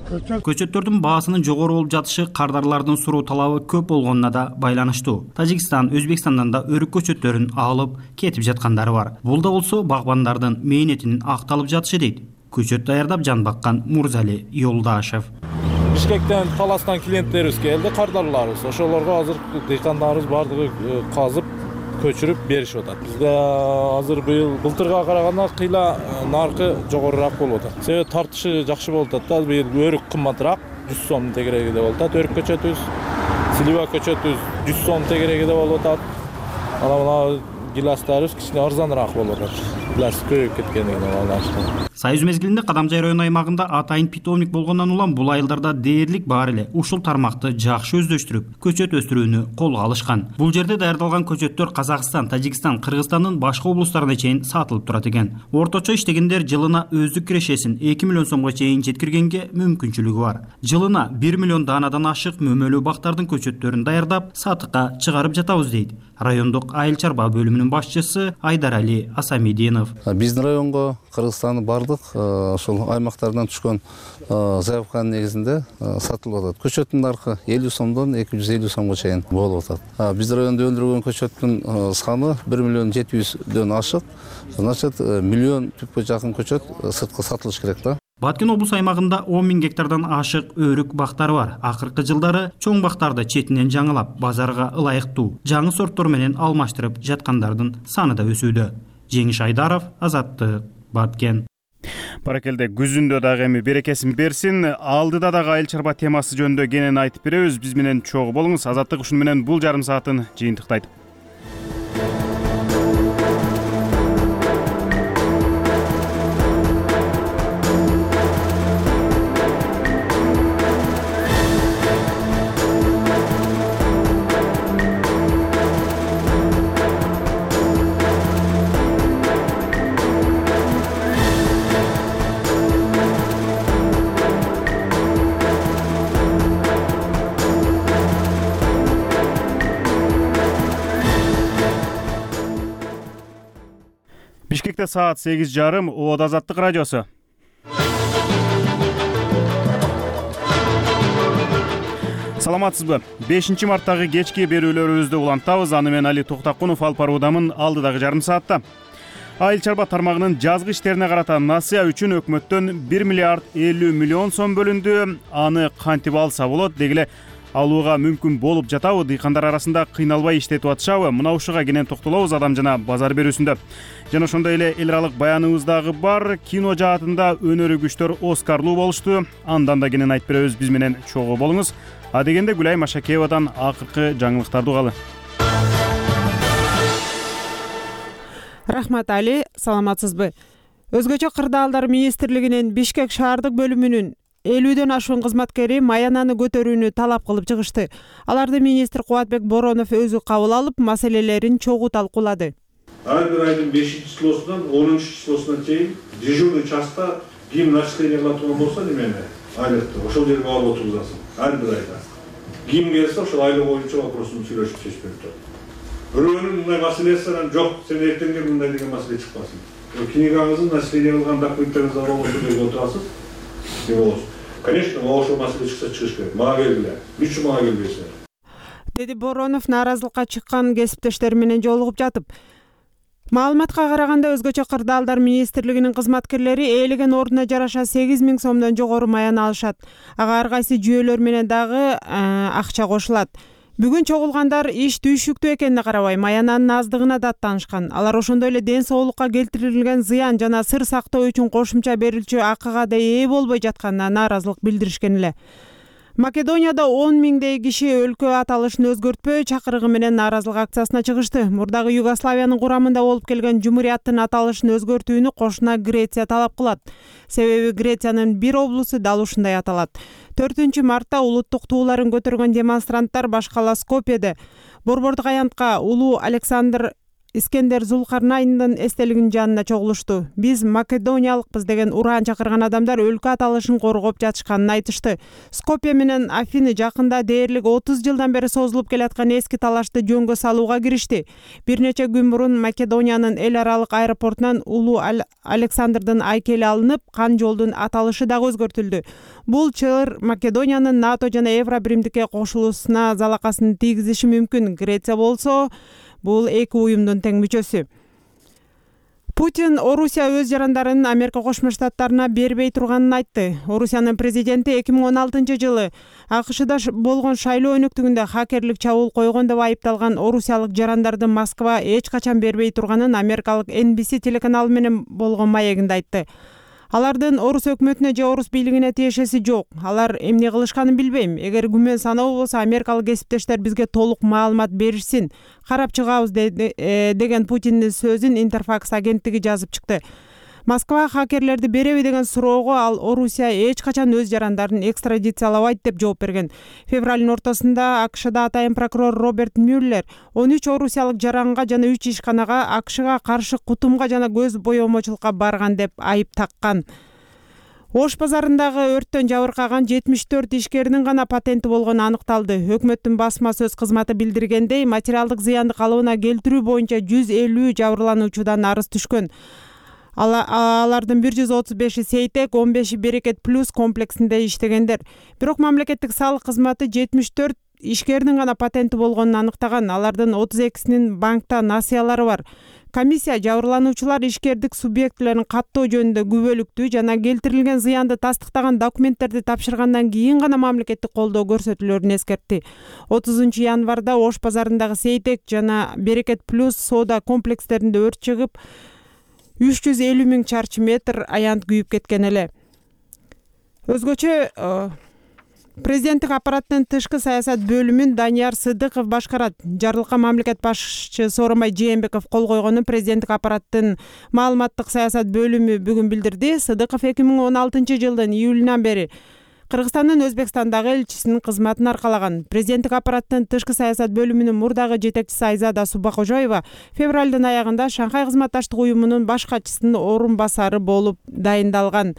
Көчөттөрдүн баасынын жогору болуп жатышы кардарлардын суроо талабы көп болгонуна да байланыштуу. Тажикстан, Өзбекстандан да өрүк көчөттөрүн алып кетип жаткандары бар. Бул да болсо багбандардын мээнетинин акталып жатышы дейт көчөт даярдап жан баккан Мурзали Юлдашев. Бишкектен, Таластан клиенттерибиз келди, кардарларыбыз. Ошолорго азыр дыйкандарыбыз бардыгы казып көчүрүп беришип атат. Бизде азыр быйыл былтырга караганда кыйла наркы жогорураак болуп атат. Себеби тартышы жакшы болуп атат да. Быйыл өрүк кымбатыраак, 100 сом тегерегиде болуп атат. Өрүк көчөтүбүз, слива көчөтүбүз 100 сом тегерегиде болуп атат. Мына гиластарыбыз кичине арзаныраак болуп атат. Гилас көбөйүп кеткендигине байланыштуу. Союз мезгилинде Кадамжай район аймагында атайын питомник болгондон улам бул айылдарда дээрлик бар эле ушул тармакты жакшы өздөштүрүп, көчөт өстүрүүнү колго алышкан. Бул жерде даярдалган көчөттөр Казакстан, Тажикстан, Кыргызстандын башка облустарына чейин сатылып турат экен. Орточо иштегендер жылына өздүк кирешесин 2 миллион сомго чейин жеткиргенге мүмкүнчүлүгү бар. Жылына 1 миллион даанадан ашык мөмөлүү бактардын көчөттөрүн даярдап, сатыкка чыгарып жатабыз дейт райондук айыл чарба бөлүмүнүн башчысы Айдарали Асамидинов. Биздин районго Кыргызстандын ошол аймактардан түшкөн заявканын негизинде сатылып атат. Көчөттүн наркы 50 сомдон 250 сомго чейин болуп атат. Биздин райондо өндүрүлгөн көчөттүн саны 1 миллион 700дөн ашык. Значит, миллион түпкө жакын көчөт сыртка сатылыш керек да. Баткен облус аймагында 10 000 гектардан ашык өрүк бактары бар. Акыркы жылдары чоң бактарды четинен жаңылап, базарга ылайыктуу жаңы сорттор менен алмаштырып жаткандардын саны да өсүүдө. Жеңиш Айдаров, Азаттык, Баткен. Баракелде, күзүндө дагы эми берекесин берсин. Алдыда дагы айыл чарба темасы жөнүндө кенен айтып беребиз. Биз менен чогуу болуңуз. Азаттык ушуну менен бул жарым саатын жыйынтыктайт. Бишкекте саат 8:30. Обод Азаттык радиосу. Саламатсызбы? 5 марттагы кечки берүүлөрүбүздү улантабыз. Аны мен Али Токтакунов алып баруудамын алдыдагы жарым саатта. Айыл чарба тармагынын жазгы иштерине карата насыя үчүн өкмөттөн 1 миллиард 50 миллион сом бөлүндү. Аны кантип алса болот? Дегиле алууга мүмкүн болуп жатабы? Дыйкандар арасында кыйналбай иштетип атышабы? Мына ушуга кенен токтолобуз Адам жана базар берүүсүндө. Жана ошондой эле эл аралык баяныбыз дагы бар. Кино жаатында өнөрү күчтөр Оскарлуу болушту. Андан да кенен айтып беребиз, биз менен чогуу болуңуз. А дегенде Гүлай Машакеевадан акыркы жаңылыктарды угалы. Рахмат Али, саламатсызбы? Өзгөчө кырдаалдар министрлигинин Бишкек шаардык бөлүмүнүн 50дөн ашуун кызматкери маянаны көтөрүүнү талап кылып чыгышты. Аларды министр Кубатбек Боронов өзү кабыл алып, маселелерин чогуу талкуулады. Ар бир айдын 5-числосунан 10-числосуна чейин дежурный частта ким начисление кыла турган болсо немени айлыкты ошол жерге барып отургузасың. Ар бир айда. Ким келсе ошол айлык боюнча вопросун сүйлөшүп чечип берип турат. Бирөөнүн мындай маселеси анан жок, сен эртең кел мындай деген маселе чыкпасын. Книгаңыздын начисление кылган документтериңизди алып ошол жерге отурасыз. Деп болосуз. Конечно, ошол маселе чыкса чыгыш керек. Мага келгиле. Үч мага келбейсиңер. Деди Боронов нааразылыкка чыккан кесиптештери менен жолугуп жатып. Маалыматка караганда өзгөчө кырдаалдар министрлигинин кызматкерлери ээлеген ордуна жараша 8000 сомдон жогору маян алышат. Ага ар кайсы жүйөлөр менен дагы акча кошулат. Бүгүн чогулгандар иш түйшүктүү экенине карабай маянанын аздыгына даттанышкан. Алар ошондой эле ден соолукка келтирилген зыян жана сыр сактоо үчүн кошумча берилчү акыга да ээ болбой жатканына нааразылык билдиришкен эле. Македонияда 10 миңдей киши өлкө аталышын өзгөртпөө чакырыгы менен нааразылык акциясына чыгышты. Мурдагы Югославиянын курамында болуп келген жумурияттын аталышын өзгөртүүнү кошуна Греция талап кылат. Себеби Грециянын бир облусу дал ушундай аталат. 4 мартта улуттук тууларын көтөргөн демонстранттар башкала Скопьеде борбордук аянтка улуу Александр Искендер Зулкарнайндын эстелигинин жанына чогулушту. Биз македониялыкпыз деген ураан чакырган адамдар өлкө аталышын коргоп жатышканын айтышты. Скопье менен Афины жакында дээрлик 30 жылдан бери созулуп келаткан эски талашты жөнгө салууга киришти. Бир нече күн мурун Македониянын эл аралык аэропортунан улуу Александрдын айкели алынып, кан жолдун аталышы дагы өзгөртүлдү. Бул чыр Македониянын НАТО жана Евробиримдикке кошулуусуна залакасын тийгизиши мүмкүн. Греция болсо бул эки уюмдун тең мүчөсү. Путин Орусия өз жарандарын Америка Кошмо Штаттарына бербей турганын айтты. Орусиянын президенти 2016 жылы АКШда болгон шайлоо өнөктүгүндө хакерлик чабуул койгон деп айыпталган орусиялык жарандарды Москва эч качан бербей турганын америкалык NBC телеканалы менен болгон маегинде айтты. Алардын орус өкмөтүнө же орус бийлигине тиешеси жок. Алар эмне кылышканын билбейм. Эгер күмөн саноо болсо америкалык кесиптештер бизге толук маалымат беришсин. Карап чыгабыз деген Путиндин сөзүн Интерфакс агенттиги жазып чыкты. Москва хакерлерди береби деген суроого ал Орусия эч качан өз жарандарын экстрадициялабайт деп жооп берген. Февралдын ортосунда АКШда атайын прокурор Роберт Мюллер 13 орусиялык жаранга жана 3 ишканага АКШга каршы кутумга жана көз боемочулукка барган деп айып таккан. Ош базарындагы өрттөн жабыркаган 74 ишкердин гана патенти болгону аныкталды. Өкмөттүн басма сөз кызматы билдиргендей, материалдык зыянды калыбына келтирүү боюнча 150 жабырлануучудан арыз түшкөн. Алардын 135-и Сейтек, 15-и Берекет плюс комплексинде иштегендер. Бирок мамлекеттик салык кызматы 74 ишкердин гана патенти болгонун аныктаган. Алардын 32синин банкта насыялары бар. Комиссия жабырлануучулар ишкердик субъектилерин каттоо жөнүндө күбөлүктүү жана келтирилген зыянды тастыктаган документтерди тапшыргандан кийин гана мамлекеттик колдоо көрсөтүлөрүн эскертти. 30 январда Ош базарындагы Сейтек жана Берекет плюс соода комплекстеринде өрт чыгып, 350 000 чарчы метр аянт күйүп кеткен эле. Өзгөчө президенттик аппараттын тышкы саясат бөлүмүн Данияр Сыдыков башкарат. Жарлыкка мамлекет башчы Сооронбай Жээнбеков кол койгонун президенттик аппараттын маалыматтык саясат бөлүмү бүгүн билдирди. Сыдыков 2016 жылдын июлунан бери Кыргызстандын Өзбекстандагы элчисинин кызматын аркалаган. Президенттик аппараттын тышкы саясат бөлүмүнүн мурдагы жетекчиси Айзада Субакожоева февралдын аягында Шанхай кызматташтык уюмунун баш катчысынын орун басары болуп дайындалган.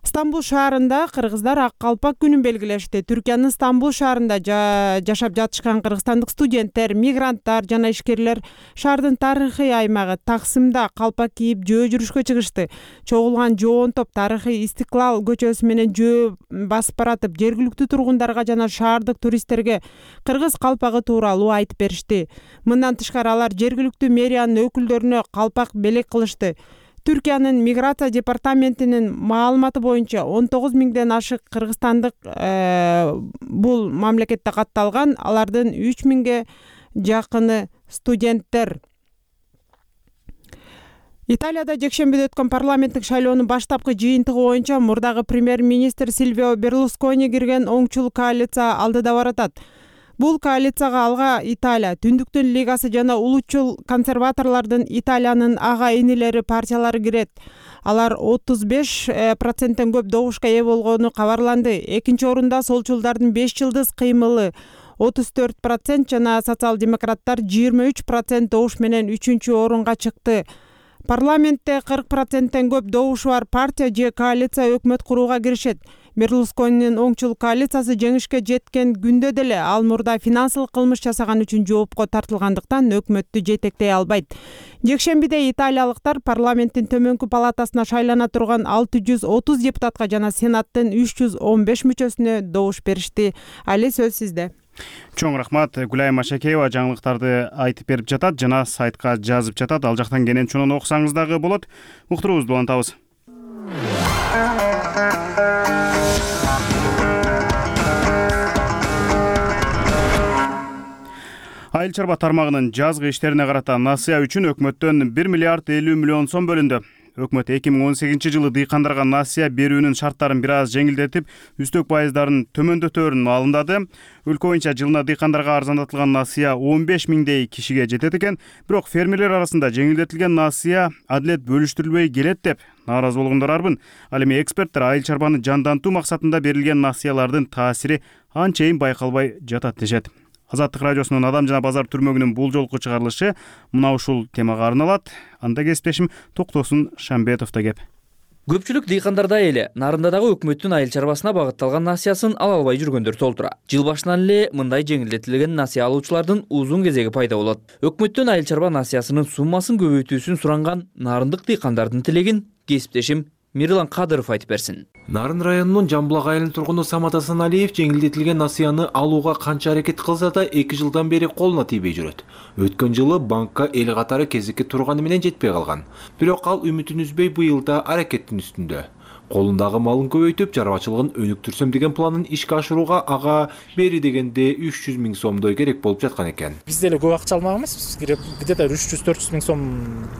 Стамбул шаарында кыргыздар ак калпак күнүн белгилешти. Түркиянын Стамбул шаарында жашап жатышкан кыргызстандык студенттер, мигранттар жана ишкерлер шаардын тарыхый аймагы Таксымда калпак кийип жөө жүрүшкө чыгышты. Чогулган жоон топ тарыхый Истиклал көчөсү менен жөө басып баратып, жергиликтүү тургундарга жана шаардык туристтерге кыргыз калпагы тууралуу айтып беришти. Мындан тышкары алар жергиликтүү мэриянын өкүлдөрүнө калпак белек кылышты. Түркиянын миграция департаментинин маалыматы боюнча 19 миңден ашык кыргызстандык бул мамлекетте катталган, алардын 3 миңге жакыны студенттер. Италияда жекшембиде өткөн парламенттик шайлоонун баштапкы жыйынтыгы боюнча мурдагы премьер-министр Сильвио Берлускони кирген оңчул коалиция алдыда баратат. Бул коалицияга алга Италия, Түндүктүн лигасы жана улутчул консерваторлордун Италиянын ага инилери партиялары кирет. Алар 35%тен көп добушка ээ болгону кабарланды. Экинчи орунда солчулдардын 5 жылдыз кыймылы 34% жана социал-демократтар 23% добуш менен 3-чү орунга чыкты. Парламентте 40%тен көп добушу бар партия же коалиция өкмөт курууга киришет. Берлусконинин оңчул коалициясы жеңишке жеткен күндө деле ал мурда финансылык кылмыш жасаган үчүн жоопко тартылгандыктан өкмөттү жетектей албайт. Жекшембиде италиялыктар парламенттин төмөнкү палатасына шайлана турган 630 депутатка жана сенаттын 315 мүчөсүнө добуш беришти. Али, сөз сизде. Чоң рахмат. Гүлайым Машакеева жаңылыктарды айтып берип жатат жана сайтка жазып жатат. Ал жактан кенен чонун окусаңыз дагы болот. Уктуруубузду улантабыз. Айыл чарба тармагынын жазгы иштерине карата насыя үчүн өкмөттөн 1 миллиард 50 миллион сом бөлүндү. Өкмөт 2018 жылы дыйкандарга насыя берүүнүн шарттарын бир аз жеңилдетип, үстөк пайыздарын төмөндөтөөрүн маалымдады. Өлкө боюнча жылына дыйкандарга арзандатылган насыя 15 миңдей кишиге жетет экен, бирок фермерлер арасында жеңилдетилген насыя адилет бөлүштүрүлбөй келет деп нааразы болгондор арбын. Ал эми эксперттер айыл чарбаны жандантуу максатында берилген насыялардын таасири анчейин байкалбай жатат дешет. Азаттык радиосунун Адам жана базар түрмөгүнүн бул жолку чыгарылышы мына ушул темага арналат. Анда кесиптешим Токтосун Шамбетовдо кеп. Көпчүлүк дыйкандарда эле нарындадагы өкмөттүн айыл чарбасына багытталган насыясын ала албай жүргөндөр толтура. Жыл башынан эле мындай жеңилдетилген насыя алуучулардын узун кезеги пайда болот. Өкмөттүн айыл чарба насыясынын суммасын көбөйтүүсүн суранган нарындык дыйкандардын тилегин кесиптешим Мирлан Кадыров айтып берсин. Нарын районунун Жамбулак айылынын тургуну Самат Асаналиев жеңилдетилген насыяны алууга канча аракет кылса да 2 жылдан бери колуна тийбей жүрөт. Өткөн жылы банкка эл катары кезекке турганы менен жетпей калган. Бирок ал үмүтүн үзбөй быйыл да аракеттин үстүндө. Колундагы малын көбөйтүп, чарбачылыгын өнүктүрсөм деген планын ишке ашырууга ага бери дегенде 300 миң сомдой керек болуп жаткан экен. Биз деле көп акча алмаганбыз, где-то 300-400 миң сом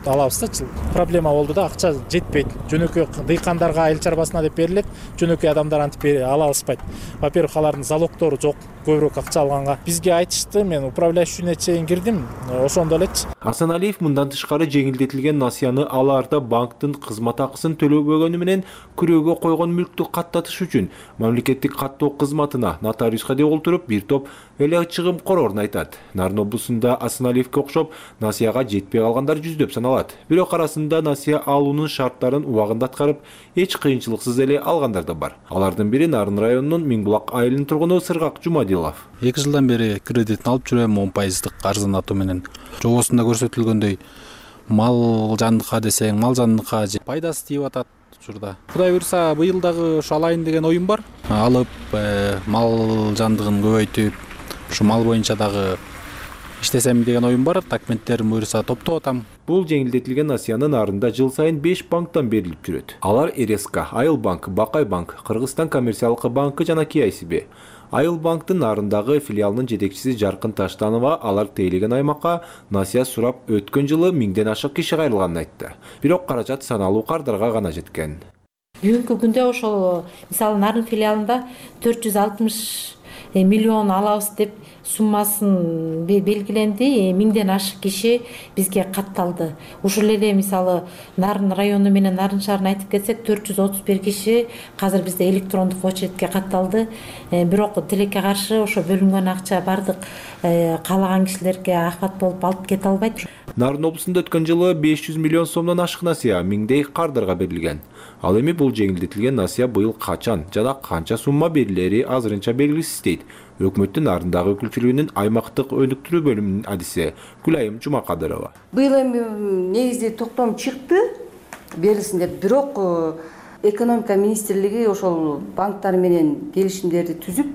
алабыз да. Проблема болду да, акча жетпейт. Жөнөкөй дыйкандарга айыл чарбасына деп берилет, жөнөкөй адамдар антип ала алышпайт. Во-первых, алардын залогтору жок, көбүрөөк акча алганга. Бизге айтышты, мен управляющийне чейин кирдим, ошондо элечи. Асаналиев мындан тышкары жеңилдетилген насыяны аларда банктын кызмат акысын төлөбөгөнү менен күрөөгө койгон мүлктү каттатыш үчүн мамлекеттик каттоо кызматына нотариуска деп олтуруп бир топ эле чыгым корорун айтат. Нарын облусунда Асаналиевке окшоп насыяга жетпей калгандар жүздөп саналат. Бирок арасында насыя алуунун шарттарын убагында аткарып, эч кыйынчылыксыз эле алгандар да бар. Алардын бири Нарын районунун Миңбулак айылынын тургуну Сыргак Жумадилов. 2 жылдан бери кредитин алып жүрөм 10% арзандатуу менен. Жобосунда көрсөтүлгөндөй мал жандыкка десең, мал жандыкка пайдасы тийип атат. Кудай буйрса быйыл дагы ушу алайын деген оюм бар. Алып мал жандыгын көбөйтүп, ушу мал боюнча дагы иштесем деген оюм бар. Документтерим буйрса топтоп атам. Бул жеңилдетилген насыянын нарында жыл сайын 5 банктан берилип жүрөт. Алар РСК, Айыл банк, Бакай банк, Кыргызстан коммерциялык банкы жана KICB. Айыл банктын нарындагы филиалынын жетекчиси Жаркын Таштанова алар тейлеген аймакка насыя сурап өткөн жылы 1000ден ашык киши кайрылганын айтты. Бирок каражат саналуу кардарга гана жеткен. Бүгүнкү күндө ошол мисалы Нарын филиалында 460 миллион алабыз деп суммасын белгиленди. 1000ден ашык киши бизге катталды. Ушул эле мисалы Нарын району менен Нарын шаарына айтып кетсек 431 киши азыр бизде электрондук очередке катталды. Бирок тилекке каршы ошо бөлүнгөн акча бардык каалаган кишилерге афат болуп алып кете албайт. Нарын облусунда өткөн жылы 500 миллион сомдон ашык насыя миңдей кардарга берилген. Ал эми бул жеңилдетилген насыя быйыл качан жана канча сумма берилери азырынча белгисиз дейт өкмөттүн Нарындагы өкүлчүлүгүнүн аймактык өнүктүрүү бөлүмүнүн адиси Гүлайым Жумакадырова. Быйыл эми негизи токтом чыкты берилсин деп, бирок экономика министрлиги ошол банктар менен келишимдерди түзүп,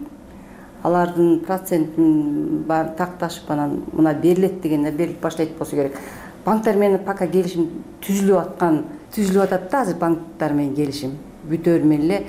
алардын процентин баарын такташып анан мына берилет дегенде берилип баштайт болсо керек. Банктар менен пока келишим түзүлүп атат да, азыр банктар менен келишим бүтөр менен эле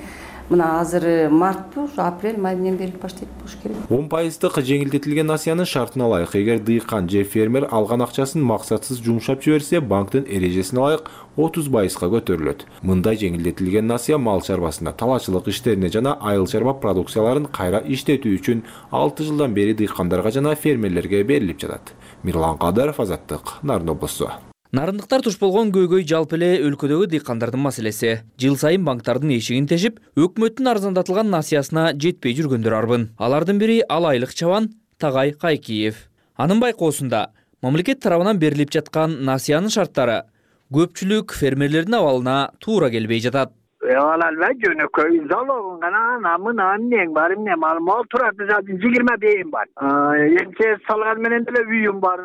мына азыр мартпы, ушу апрель, май менен берилип баштайт болуш керек. 10% жеңилдетилген насыянын шартына ылайык эгер дыйкан же фермер алган акчасын максатсыз жумшап жиберсе, банктын эрежесине ылайык 30%га көтөрүлөт. Мындай жеңилдетилген насыя мал чарбасына, талаачылык иштерине жана айыл чарба продукцияларын кайра иштетүү үчүн 6 жылдан бери дыйкандарга жана фермерлерге берилип жатат. Мирлан Кадыров, Азаттык, Нарын облусу. Нарындыктар туш болгон көйгөй жалпы эле өлкөдөгү дыйкандардын маселеси. Жыл сайын банктардын эшигин тешип, өкмөттүн арзандатылган насыясына жетпей жүргөндөр арбын. Алардын бири Алайлык чабан Тагай Кайкиев. Анын байкоосунда мамлекет тарабынан берилип жаткан насыянын шарттары көпчүлүк фермерлердин абалына туура келбей жатат. Алалбай жөнөкөй залогун гана намынан нең бар эмне мал турат 20 бейим бар. Эмче салган менен деле үйүм бар,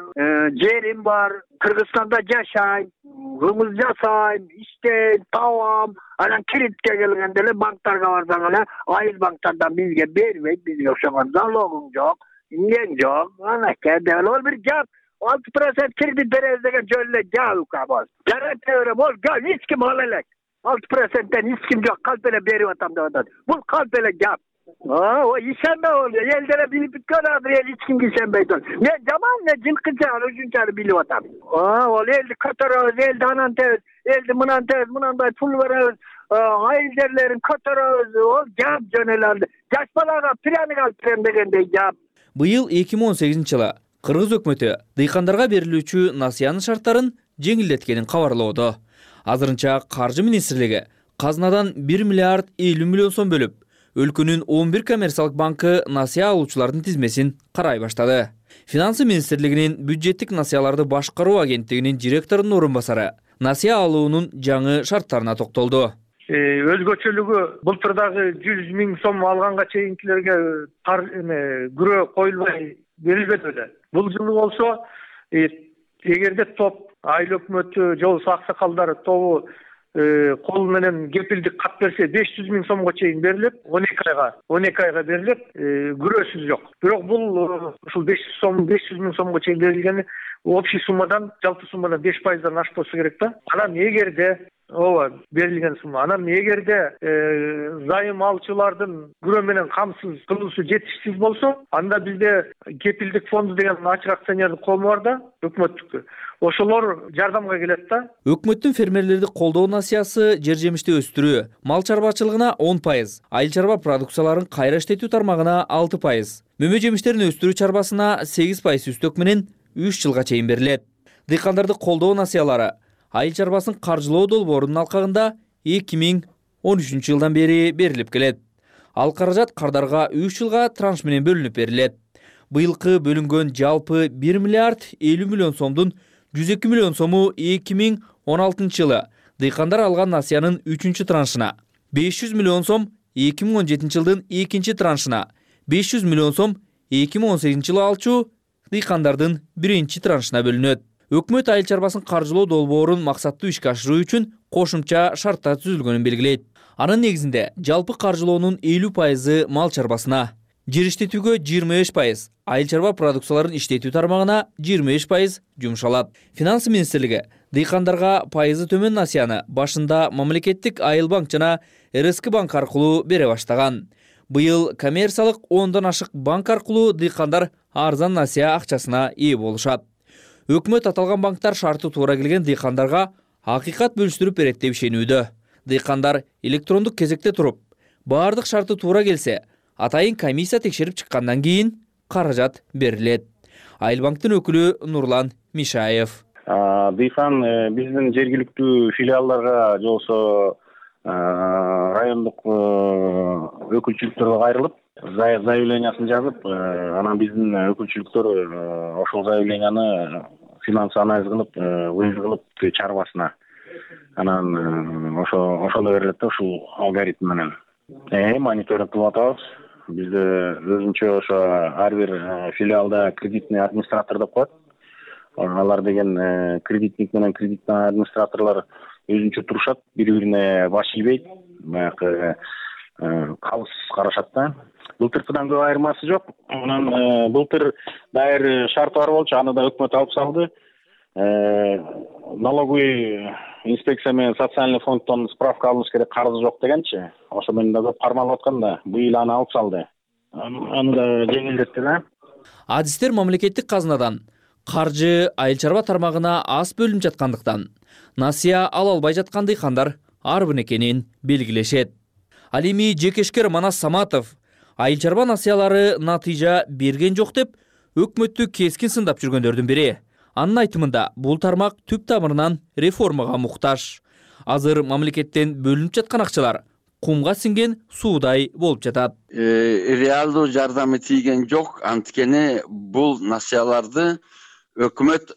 жерим бар, Кыргызстанда жашайм, кымыз жасайм, иштейм, табам. Анан кредитке келгенде эле банктарга барсаң эле айыл банктардан бизге бербейт, бизге окшогон залогуң жок, нең жок. Анакей деп ол бир жап 6% кредит беребиз деген жөн эле жабык бар. Жарата берем, ол эч ким ала элек. 6%-тен эч ким жок, калп эле берип атам деп атат. Бул калп эле жап. Ишенме ол, элдере билип бүткөн азыр эл эч кимге ишенбейт ол. Мен жаман жылкынча ушунчалык билип атам. Ол элди көтөрөбүз, элди анан тебиз, элди мынан тебиз, мынандай пул беребиз, айыл жерлерин көтөрөбүз, ол жап жөн эле. Жаш балага пряник алып берем дегендей жап. Быйыл 2018-жылы Кыргыз өкмөтү дыйкандарга берилүүчү насыянын шарттарын жеңилдеткенин кабарлоодо. Азырынча Каржы министрлиги казнадан 1 миллиард 50 миллион сом бөлүп, өлкөнүн 11 коммерциялык банкы насыя алуучулардын тизмесин карай баштады. Финансы министрлигинин бюджеттик насыяларды башкаруу агенттигинин директорунун орун басары насыя алуунун жаңы шарттарына токтолду. Өзгөчөлүгү былтырдагы 100 миң сом алганга чейинкилерге күрөө коюлбай берилбеди эле. Бул жылы болсо эгерде топ айыл өкмөтү же болбосо аксакалдар тобу кол менен кепилдик кат берсе 500 миң сомго чейин берилет, 12 айга берилет, күрөөсүз жок. Бирок бул ушул 500 миң сомго чейин берилгени общий суммадан, жалпы суммадан 5%дан ашпаса керек да. Анан эгерде берилген сумма. Анан эгерде зайым алчылардын күрөө менен камсыз кылуусу жетишсиз болсо, анда бизде кепилдик фонду деген ачык акционердик коому бар да, өкмөттүкү. Ошолор жардамга келет да. Өкмөттүн фермерлерди колдоо насыясы жер жемишти өстүрүү, мал чарбачылыгына 10%, айыл чарба продукцияларын кайра иштетүү тармагына 6%, мөмө жемиштерин өстүрүү чарбасына 8% үстөк менен 3 жылга чейин берилет. Дыйкандарды колдоо насыялары айыл чарбасын каржылоо долбоорунун алкагында 2013 жылдан бери берилип келет. Ал каражат кардарга 3 жылга транш менен бөлүнүп берилет. Быйылкы бөлүнгөн жалпы 1 миллиард 50 миллион сомдун 102 миллион сому 2016 жылы дыйкандар алган насыянын 3-чү траншына, 500 миллион сом 2017 жылдын 2-чи траншына, 500 миллион сом 2018 жылы алчу дыйкандардын 1-чи траншына бөлүнөт. Өкмөт айыл чарбасын каржылоо долбоорун максаттуу ишке ашыруу үчүн кошумча шарттар түзүлгөнүн белгилейт. Анын негизинде жалпы каржылоонун 50% мал чарбасына, жер иштетүүгө 25%, айыл чарба продукцияларын иштетүү тармагына 25% жумшалат. Финансы министрлиги дыйкандарга пайызы төмөн насыяны башында мамлекеттик айыл банк жана РСК банк аркылуу бере баштаган. Быйыл коммерциялык 10дан ашык банк аркылуу дыйкандар арзан насыя акчасына ээ болушат. Өкмөт аталган банктар шарты туура келген дыйкандарга акыйкат бөлүштүрүп берет деп ишенүүдө. Дыйкандар электрондук кезекте туруп, баардык шарты туура келсе, атайын комиссия текшерип чыккандан кийин каражат берилет. Айылбанктын өкүлү Нурлан Мишаев. Дыйкан биздин жергиликтүү филиалдарга же болбосо райондук өкүлчүлүктөргө кайрылып, заявлениясын жазып, анан биздин өкүлчүлүктөр ошол заявленияны финанс анализ кылып, вывод кылып чарбасына. Анан ошондо берилет да, ушул алгоритм менен. Мониторинг кылып атабыз. Бизде өзүнчө ошо ар бир филиалда кредитный администратор деп коет. Алар деген кредитник менен кредитный администраторлор өзүнчө турушат, бири-бирине баш ийбейт, баягы калыс карашат да. Былтыркыдан көп айырмасы жок. Анан былтыр дайыр шарты бар болчу, аны да өкмөт алып салды. Налоговый инспекция менен социальный фонддон справка алыш керек, карызы жок дегенчи. Ошо менен да көп кармалып аткан да, быйыл аны алып салды. Аны да жеңилдетти да. Адистер мамлекеттик казынадан каржы айыл чарба тармагына аз бөлүнүп жаткандыктан насыя ала албай жаткан дыйкандар арбын экенин белгилешет. Ал эми жекешкер Манас Саматов айыл чарба насыялары натыйжа берген жок деп өкмөттү кескин сындап жүргөндөрдүн бири. Анын айтымында бул тармак түп тамырынан реформага муктаж. Азыр мамлекеттен бөлүнүп жаткан акчалар кумга сиңген суудай болуп жатат. Реалдуу жардамы тийген жок, анткени бул насыяларды өкмөт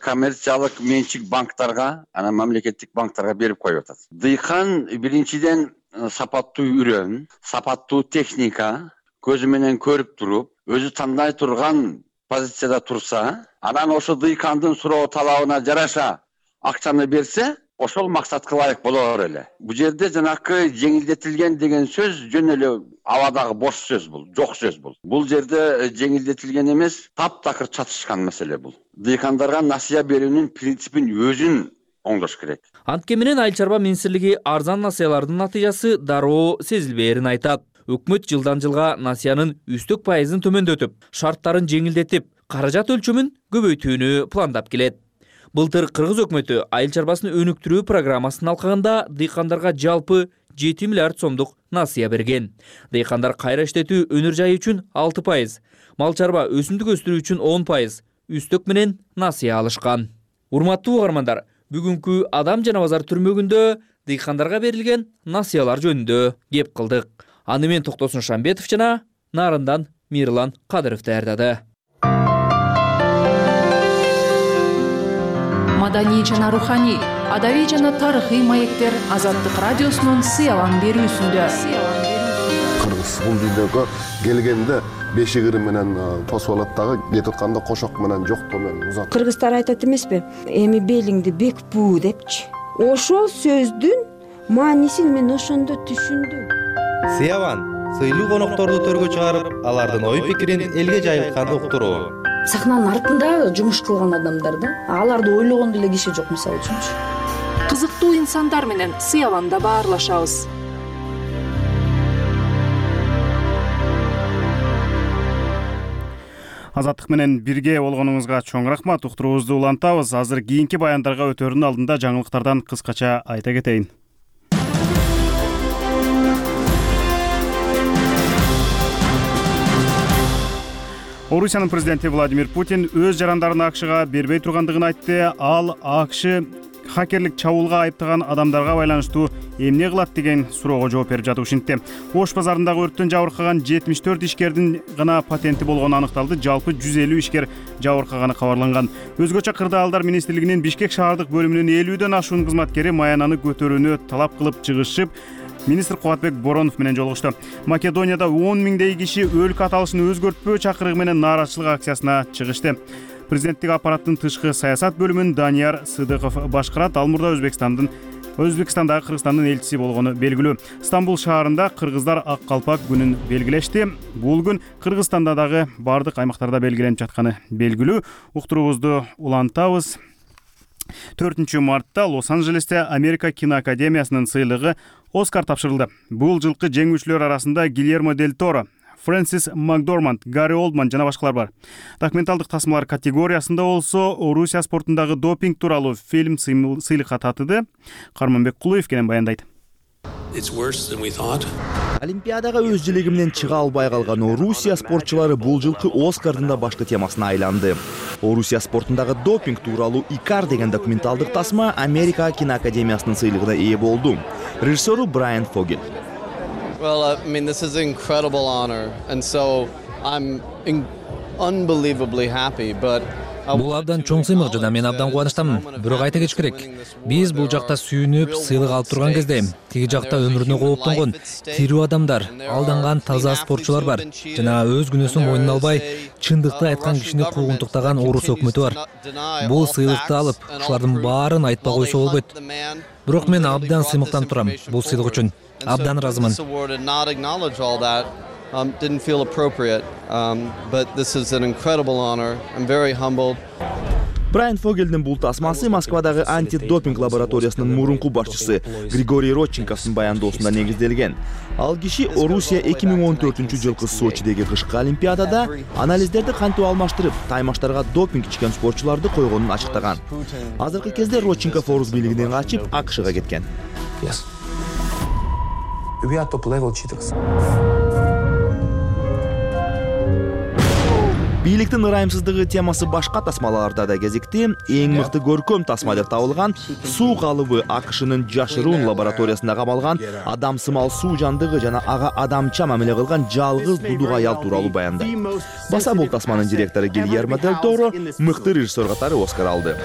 коммерциялык менчик банктарга, анан мамлекеттик банктарга берип коюп атат. Дыйкан биринчиден сапаттуу үрөн, сапаттуу техника, көзү менен көрүп туруп, өзү тандай турган позицияда турса, анан ошо дыйкандын суроо талабына жараша акчаны берсе, ошол максатка ылайык болор эле. Бул жерде жанакы жеңилдетилген деген сөз жөн эле абадагы бош сөз бул, жок сөз бул. Бул жерде жеңилдетилген эмес, таптакыр чатышкан маселе бул. Дыйкандарга насыя берүүнүн принципин өзүн оңдош керек. Антке менен айыл чарба министрлиги арзан насыялардын натыйжасы дароо сезилбээрин айтат. Өкмөт жылдан жылга насыянын үстөк пайызын төмөндөтүп, шарттарын жеңилдетип, каражат өлчөмүн көбөйтүүнү пландап келет. Былтыр Кыргыз өкмөтү айыл чарбасын өнүктүрүү программасынын алкагында дыйкандарга жалпы 7 миллиард сомдук насыя берген. Дыйкандар кайра иштетүү өнөр жайы үчүн 6%, мал чарба өсүмдүк өстүрүү үчүн 10% үстөк менен насыя алышкан. Урматтуу угармандар, бүгүнкү Адам жана базар түрмөгүндө дыйкандарга берилген насыялар жөнүндө кеп кылдык. Аны мен Токтосун Шамбетов жана Нарындан Мирлан Кадыров даярдады. Маданий жана руханий, адабий жана тарыхый маектер Азаттык радиосунун сыялан берүүсүндө. Кыргыз бул дүйнөгө келгенде бешигири менен тосуп алат дагы, кетип атканда кошок менен жоктоо менен узат. Кыргыздар айтат эмеспи? Эми белиңди бек буу депчи. Ошол сөздүн маанисин мен ошондо түшүндүм. Сыяван сыйлуу конокторду төргө чыгарып, алардын ой пикирин элге жайылтканды уктуруу. Сахнанын артында жумуш кылган адамдар да, аларды ойлогондо эле киши жок, мисалы үчүнчү. Кызыктуу инсандар менен Сыяванда баарлашабыз. Азаттык менен бирге болгонуңузга чоң рахмат. Уктуруубузду улантабыз. Азыр кийинки баяндарга өтөрүнүн алдында жаңылыктардан кыскача айта кетейин. Орусиянын президенти Владимир Путин өз жарандарын АКШга бербей тургандыгын айтты. Ал АКШ хакерлик чабуулга айыптаган адамдарга байланыштуу эмне кылат деген суроого жооп берип жатып ушинтти. Ош базарындагы өрттөн жабыркаган 74 ишкердин гана патенти болгону аныкталды. Жалпы 150 ишкер жабыркаганы кабарланган. Өзгөчө кырдаалдар министрлигинин Бишкек шаардык бөлүмүнүн 50дөн ашуун кызматкери маянаны көтөрүүнү талап кылып чыгышып, министр Кубатбек Боронов менен жолугушту. Македонияда 10 миңдей киши өлкө аталышын өзгөртпөө чакырыгы менен нааразычылык акциясына чыгышты. Президенттик аппараттын тышкы саясат бөлүмүн Данияр Сыдыков башкарат. Ал мурда Өзбекстандагы Кыргызстандын элчиси болгону белгилүү. Стамбул шаарында кыргыздар ак калпак күнүн белгилешти. Бул күн Кыргызстанда дагы бардык аймактарда белгиленип жатканы белгилүү. Уктуруубузду улантабыз. 4 мартта Лос-Анджелесте Америка киноакадемиясынын сыйлыгы Оскар тапшырылды. Бул жылкы жеңүүчүлөр арасында Гильермо Дель Торо, Фрэнсис Макдорманд, Гарри Олдман жана башкалар бар. Документалдык тасмалар категориясында болсо Орусия спортундагы допинг тууралуу фильм сыйлыкка татыды. Карманбек Кулуев кенен баяндайт. Олимпиадага өз желеги менен чыга албай калган Орусия спортчулары бул жылкы Оскардын да башкы темасына айланды. Орусия спортундагы допинг тууралуу Икар деген документалдык тасма Америка киноакадемиясынын сыйлыгына ээ болду. Режиссеру Брайан Фогель. Well, this is an incredible honor, and so I'm unbelievably happy, but Бул абдан чоң сыймык жана мен абдан кубанычтамын. Бирок айта кетиш керек. Биз бул жакта сүйүнүп, сыйлык алып турган кезде тиги жакта өмүрүнө кооптонгон тирүү адамдар, алданган таза спортчулар бар жана өз күнөөсүн мойнуна албай, чындыкты айткан кишини куугунтуктаган Орус өкмөтү бар. Бул сыйлыкты алып, ушулардын баарын айтпай койсо болбойт. Бирок мен абдан сыймыктанып турам бул сыйлык үчүн. Абдан ыраазымын. Didn't feel appropriate, but this is an incredible honor. I'm very humbled. Брайан Фогельдин бул тасмасы Москвадагы антидопинг лабораториясынын мурунку башчысы Григорий Родченковдун баяндоосунда негизделген. Ал киши Орусия 2014-жылкы Сочидеги кышкы олимпиадада анализдерди кантип алмаштырып, таймаштарга допинг ичкен спортчуларды койгонун ачыктаган. Азыркы кезде Родченков Орус бийлигинен качып АКШга кеткен. We are top level cheaters. Бийликтин ырайымсыздыгы темасы башка тасмаларда да кезикти. Эң мыкты көркөм тасма деп табылган суу калыбы АКШнын жашыруун лабораториясында камалган адам сымал суу жандыгы жана ага адамча мамиле кылган жалгыз дудук аял тууралуу баянда. Баса бул тасманын директору Гильермо дель Торо мыкты режиссер катары Оскар алды.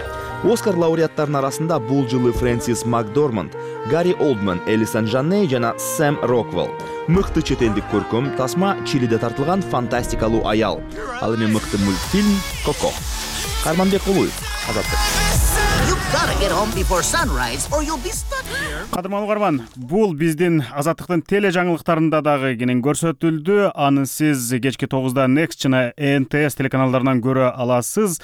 Оскар лауреаттарынын арасында бул жылы Фрэнсис Макдорманд, Гарри Олдман, Элисон Жанней жана Сэм Роквелл. Мыкты чет элдик көркөм тасма Чилиде тартылган фантастикалуу аял. Ал эми мыкты мультфильм Коко. Карманбек Улуев, Азаттык. Кадырман угарман, бул биздин Азаттыктын теле жаңылыктарында дагы кенен көрсөтүлдү. Аны сиз кечки 9-да Next жана НТС телеканалдарынан көрө аласыз.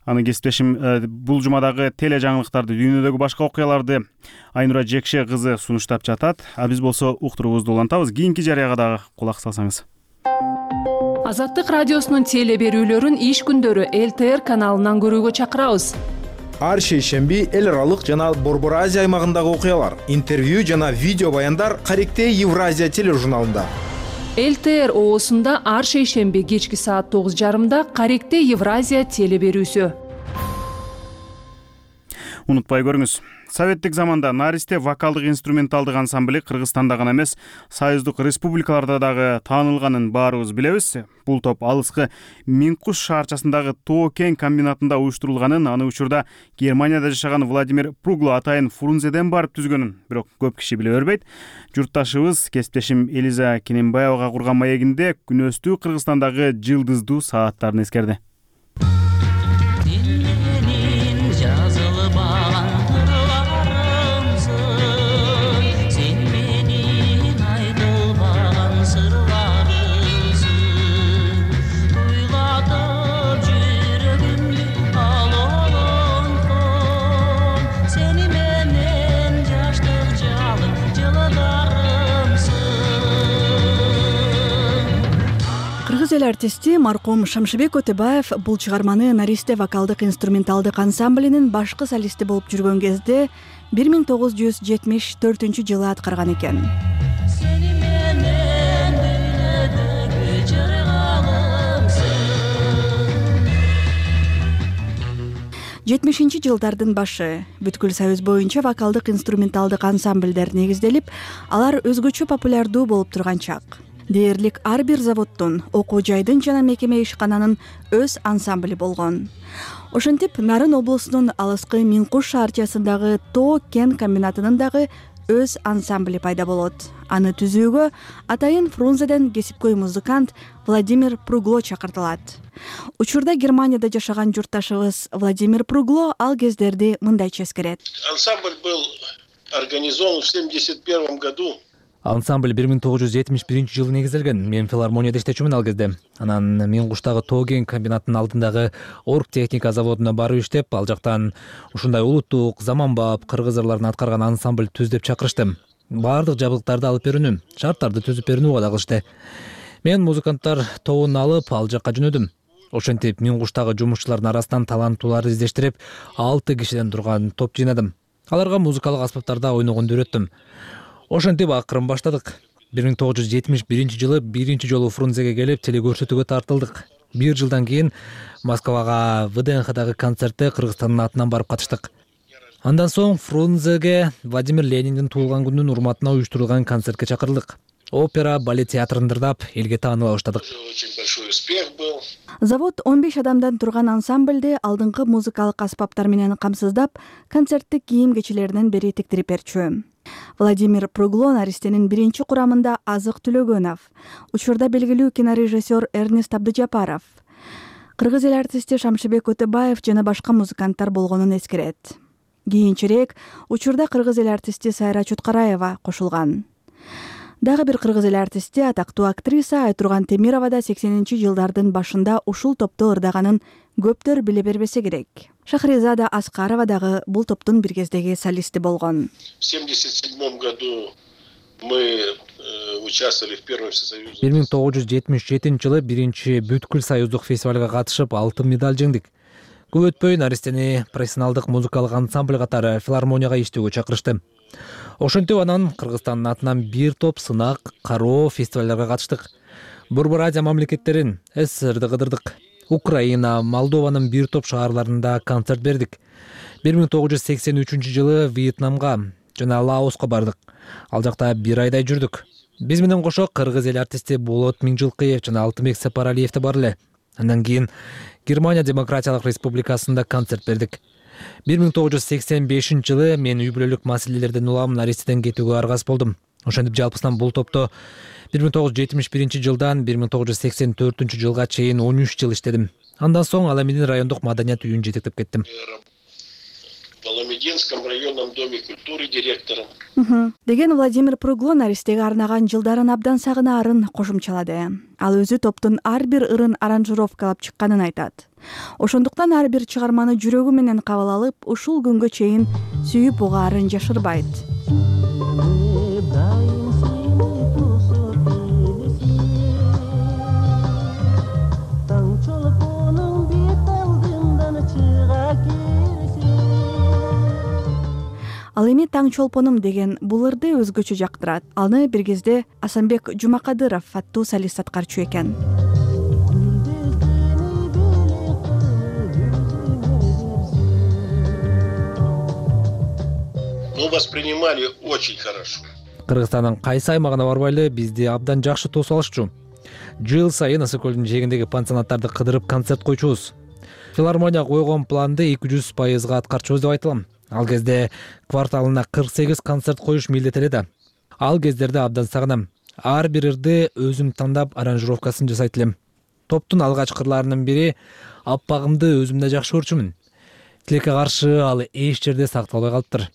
Аны кесиптешим бул жумадагы теле жаңылыктарды, дүйнөдөгү башка окуяларды Айнура Жекше кызы сунуштап жатат. А биз болсо уктуруубузду улантабыз. Кийинки жарыяга дагы кулак салсаңыз. Азаттык радиосунун теле берүүлөрүн иш күндөрү ЛТР каналынан көрүүгө чакырабыз. Ар шейшемби эл аралык жана Борбор Азия аймагындагы окуялар, интервью жана видео баяндар Каректе Евразия тележурналында. ЛТР оосунда ар шейшемби кечки саат 9:30 Каректе Евразия теле берүүсү. Унутпай көрүңүз. Советтик заманда Наристе вокалдык инструменталдык ансамбли Кыргызстанда гана эмес, союздук республикаларда дагы таанылганын баарыбыз билебиз. Бул топ алыскы Минкуш шаарчасындагы Тоо кен комбинатында уюштурулганын, аны учурда Германияда жашаган Владимир Пругло атайын Фрунзеден барып түзгөнүн бирок көп киши биле бербейт. Журтташыбыз кесиптешим Элиза Кененбаевага курган маегинде күнөстүү Кыргызстандагы жылдыздуу сааттарын эскерди. Эл артисти маркум Шамшыбек Өтөбаев бул чыгарманы Наристе вокалдык инструменталдык ансамблинин башкы солисти болуп жүргөн кезде 1974-жылы аткарган экен. 70-жылдардын башы бүткүл союз боюнча вокалдык инструменталдык ансамблдер негизделип, алар өзгөчө популярдуу болуп турган чак. Дээрлик ар бир заводдун, окуу жайдын жана мекеме ишкананын өз ансамбли болгон. Ошентип, Нарын облусунун алыскы Минкуш шаарчасындагы Тоо кен комбинатынын дагы өз ансамбли пайда болот. Аны түзүүгө атайын Фрунзеден кесипкөй музыкант Владимир Пругло чакыртылат. Учурда Германияда жашаган журтташыбыз Владимир Пругло ал кездерди мындайча эскерет. Ансамбль был организован в 1971 году. Ансамбль 1971-жылы негизделген. Мен филармонияда иштечүмүн ал кезде. Анан Минкуштагы Тоо кен комбинатынын алдындагы орг техника заводуна барып иштеп, ал жактан ушундай улуттук, заманбап кыргыз ырларын аткарган ансамбль түз деп чакырышты. Баардык жабдыктарды алып берүүнү, шарттарды түзүп берүүнү убада кылышты. Мен музыканттар тобун алып ал жакка жөнөдүм. Ошентип Минкуштагы жумушчулардын арасынан таланттууларды издештирип, 6 кишиден турган топ жыйнадым. Аларга музыкалык аспаптарда ойногонду үйрөттүм. Ошентип акырын баштадык. 1971-жылы биринчи жолу Фрунзеге келип телекөрсөтүүгө тартылдык. 1 жылдан кийин Москвага ВДНХдагы концертте Кыргызстандын атынан барып катыштык. Андан соң Фрунзеге Владимир Лениндин туулган күнүнүн урматына уюштурулган концертке чакырылдык. Опера, балет театрын дырдап, элге тааныла баштадык. Завод 15 адамдан турган ансамбльди алдыңкы музыкалык аспаптар менен камсыздап, концерттик кийим-кечилеринен бери тиктирип берчү. Владимир Пругло наристенин биринчи курамында Азык Төлөгөнов, учурда белгилүү кинорежиссер Эрнест Абдыжапаров, кыргыз эл артисти Шамшыбек Өтөбаев жана башка музыканттар болгонун эскерет. Кийинчерээк учурда кыргыз эл артисти Сайра Чоткараева кошулган. Дагы бир кыргыз эл артисти атактуу актриса Айтурган Темирова да 80-жылдардын башында ушул топту ырдаганын көптөр биле бербесе керек. Шахризада Аскарова дагы бул топтун бир кездеги солисти болгон. В 1977 году мы участвовали в первом всесоюзном. 1977-жылы биринчи бүткүл союздук фестивалга катышып, алтын медаль жеңдик. Көп өтпөй наристени профессионалдык музыкалык ансамбль катары филармонияга иштөөгө чакырышты. Ошентип анан Кыргызстандын атынан бир топ сынак, кароо фестивалдарга катыштык. Борбор Азия мамлекеттерин СССРди кыдырдык. Украина, Молдованын бир топ шаарларында концерт бердик. 1983-жылы Вьетнамга жана Лаоска бардык. Ал жакта 1 айдай жүрдүк. Биз менен кошо кыргыз эл артисти Болот Миңжилкыев жана Алтынбек Сапаралиев да бар эле. Андан кийин Германия Демократиялык Республикасында концерт бердик. 1985-жылы мен үй бүлөлүк маселелерден улам наристеден кетүүгө аргас болдум. Ошентип жалпысынан бул топто 1971-жылдан 1984-жылга чейин 13 жыл иштедим. Андан соң Аламедин райондук маданият үйүн жетектеп кеттим. В Аламединском районном доме культуры директором. Деген Владимир Пругло наристеге арнаган жылдарын абдан сагынаарын кошумчалады. Ал өзү топтун ар бир ырын аранжировкалап чыкканын айтат. Ошондуктан ар бир чыгарманы жүрөгү менен кабыл алып, ушул күнгө чейин сүйүп угаарын жашырбайт. Ал эми Таң чолпонум деген бул ырды өзгөчө жактырат. Аны бир кезде Асанбек Жумакадыров аттуу солист аткарчу экен. Мы воспринимали очень хорошо. Кыргызстандын кайсы аймагына барбайлы бизди абдан жакшы тосуп алышчу. Жыл сайын Ысык көлдүн жээгиндеги пансионаттарды кыдырып концерт койчубуз. Филармония койгон планды 200% аткарчубуз деп айтылам. Ал кезде кварталына 48 концерт коюш милдет эле да. Ал кездерди абдан сагынам. Ар бир ырды өзүм тандап аранжировкасын жасайт элем. Топтун алгачкы ырларынын бири Аппагымды өзүм да жакшы көрчүмүн. Тилекке каршы ал эч жерде сакталбай калыптыр.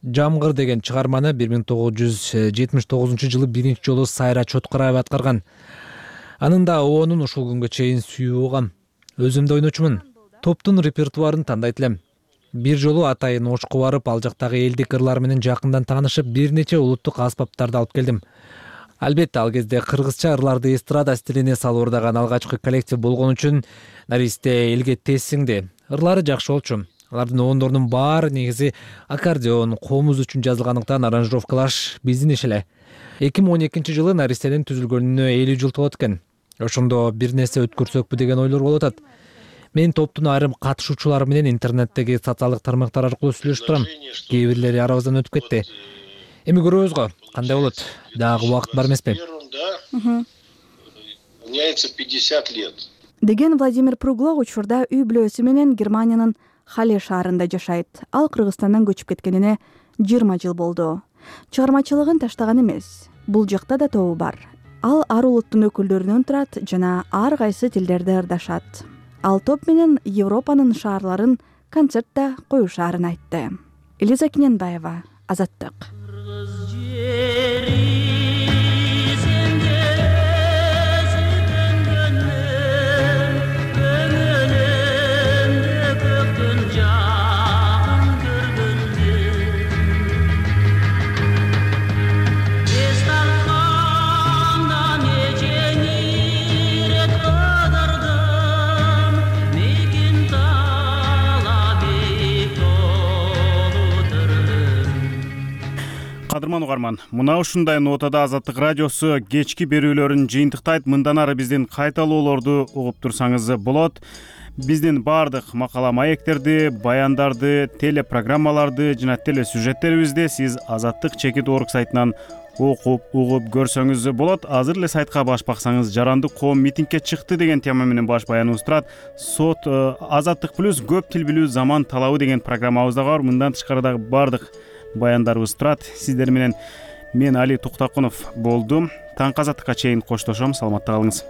Жамгыр деген чыгарманы 1979-жылы биринчи жолу Сайра Чоткараева аткарган. Анын да оонун ушул күнгө чейин сүйүп угам. Өзүм да ойночумун. Топтун репертуарын тандайт элем. Бир жолу атайын Ошко барып, ал жактагы элдик ырлар менен жакындан таанышып, бир нече улуттук аспаптарды алып келдим. Албетте, ал кезде кыргызча ырларды эстрада стилине салып ырдаган алгачкы коллектив болгон үчүн наристе элге тез сиңди. Ырлары жакшы болчу. Алардын оондорунун баары негизи аккордеон, комуз үчүн жазылгандыктан аранжировкалаш биздин иш эле. 2012-жылы наристенин түзүлгөнүнө 50 жыл толот экен. Ошондо бир нерсе өткөрсөкпү деген ойлор болуп атат. Мен топтун айрым катышуучулары менен интернеттеги социалдык тармактар аркылуу сүйлөшүп турам. Кээ бирлери арабыздан өтүп кетти. Эми көрөбүз го, кандай болот? Дагы убакыт бар эмеспи? Меняется 50 лет. Деген Владимир Пругло учурда үй бүлөсү менен Германиянын Хале шаарында жашайт. Ал Кыргызстандан көчүп кеткенине 20 жыл болду. Чыгармачылыгын таштаган эмес. Бул жакта да тобу бар. Ал ар улуттун өкүлдөрүнөн турат жана ар кайсы тилдерде ырдашат. Ал топ менен Европанын шаарларын концертте коюшаарын айтты. Элиза Кененбаева, Азаттык. Кадырман угарман, мына ушундай нотада Азаттык радиосу кечки берүүлөрүн жыйынтыктайт. Мындан ары биздин кайталоолорду угуп турсаңыз болот. Биздин баардык макала маектерди, баяндарды, телепрограммаларды жана телесюжеттерибизди сиз Азаттык _org сайтынан окуп, угуп көрсөңүз болот. Азыр эле сайтка баш баксаңыз, жаранды коом митингге чыкты деген тема менен баш баяныбыз турат. Сот Азаттык плюс көп тил билүү заман талабы деген программабыз да бар. Мындан тышкары дагы баардык баяндарыбыз турат. Сиздер менен мен Али Токтокунов болдум. Таңкы Азаттыкка чейин коштошом. Саламатта калыңыз.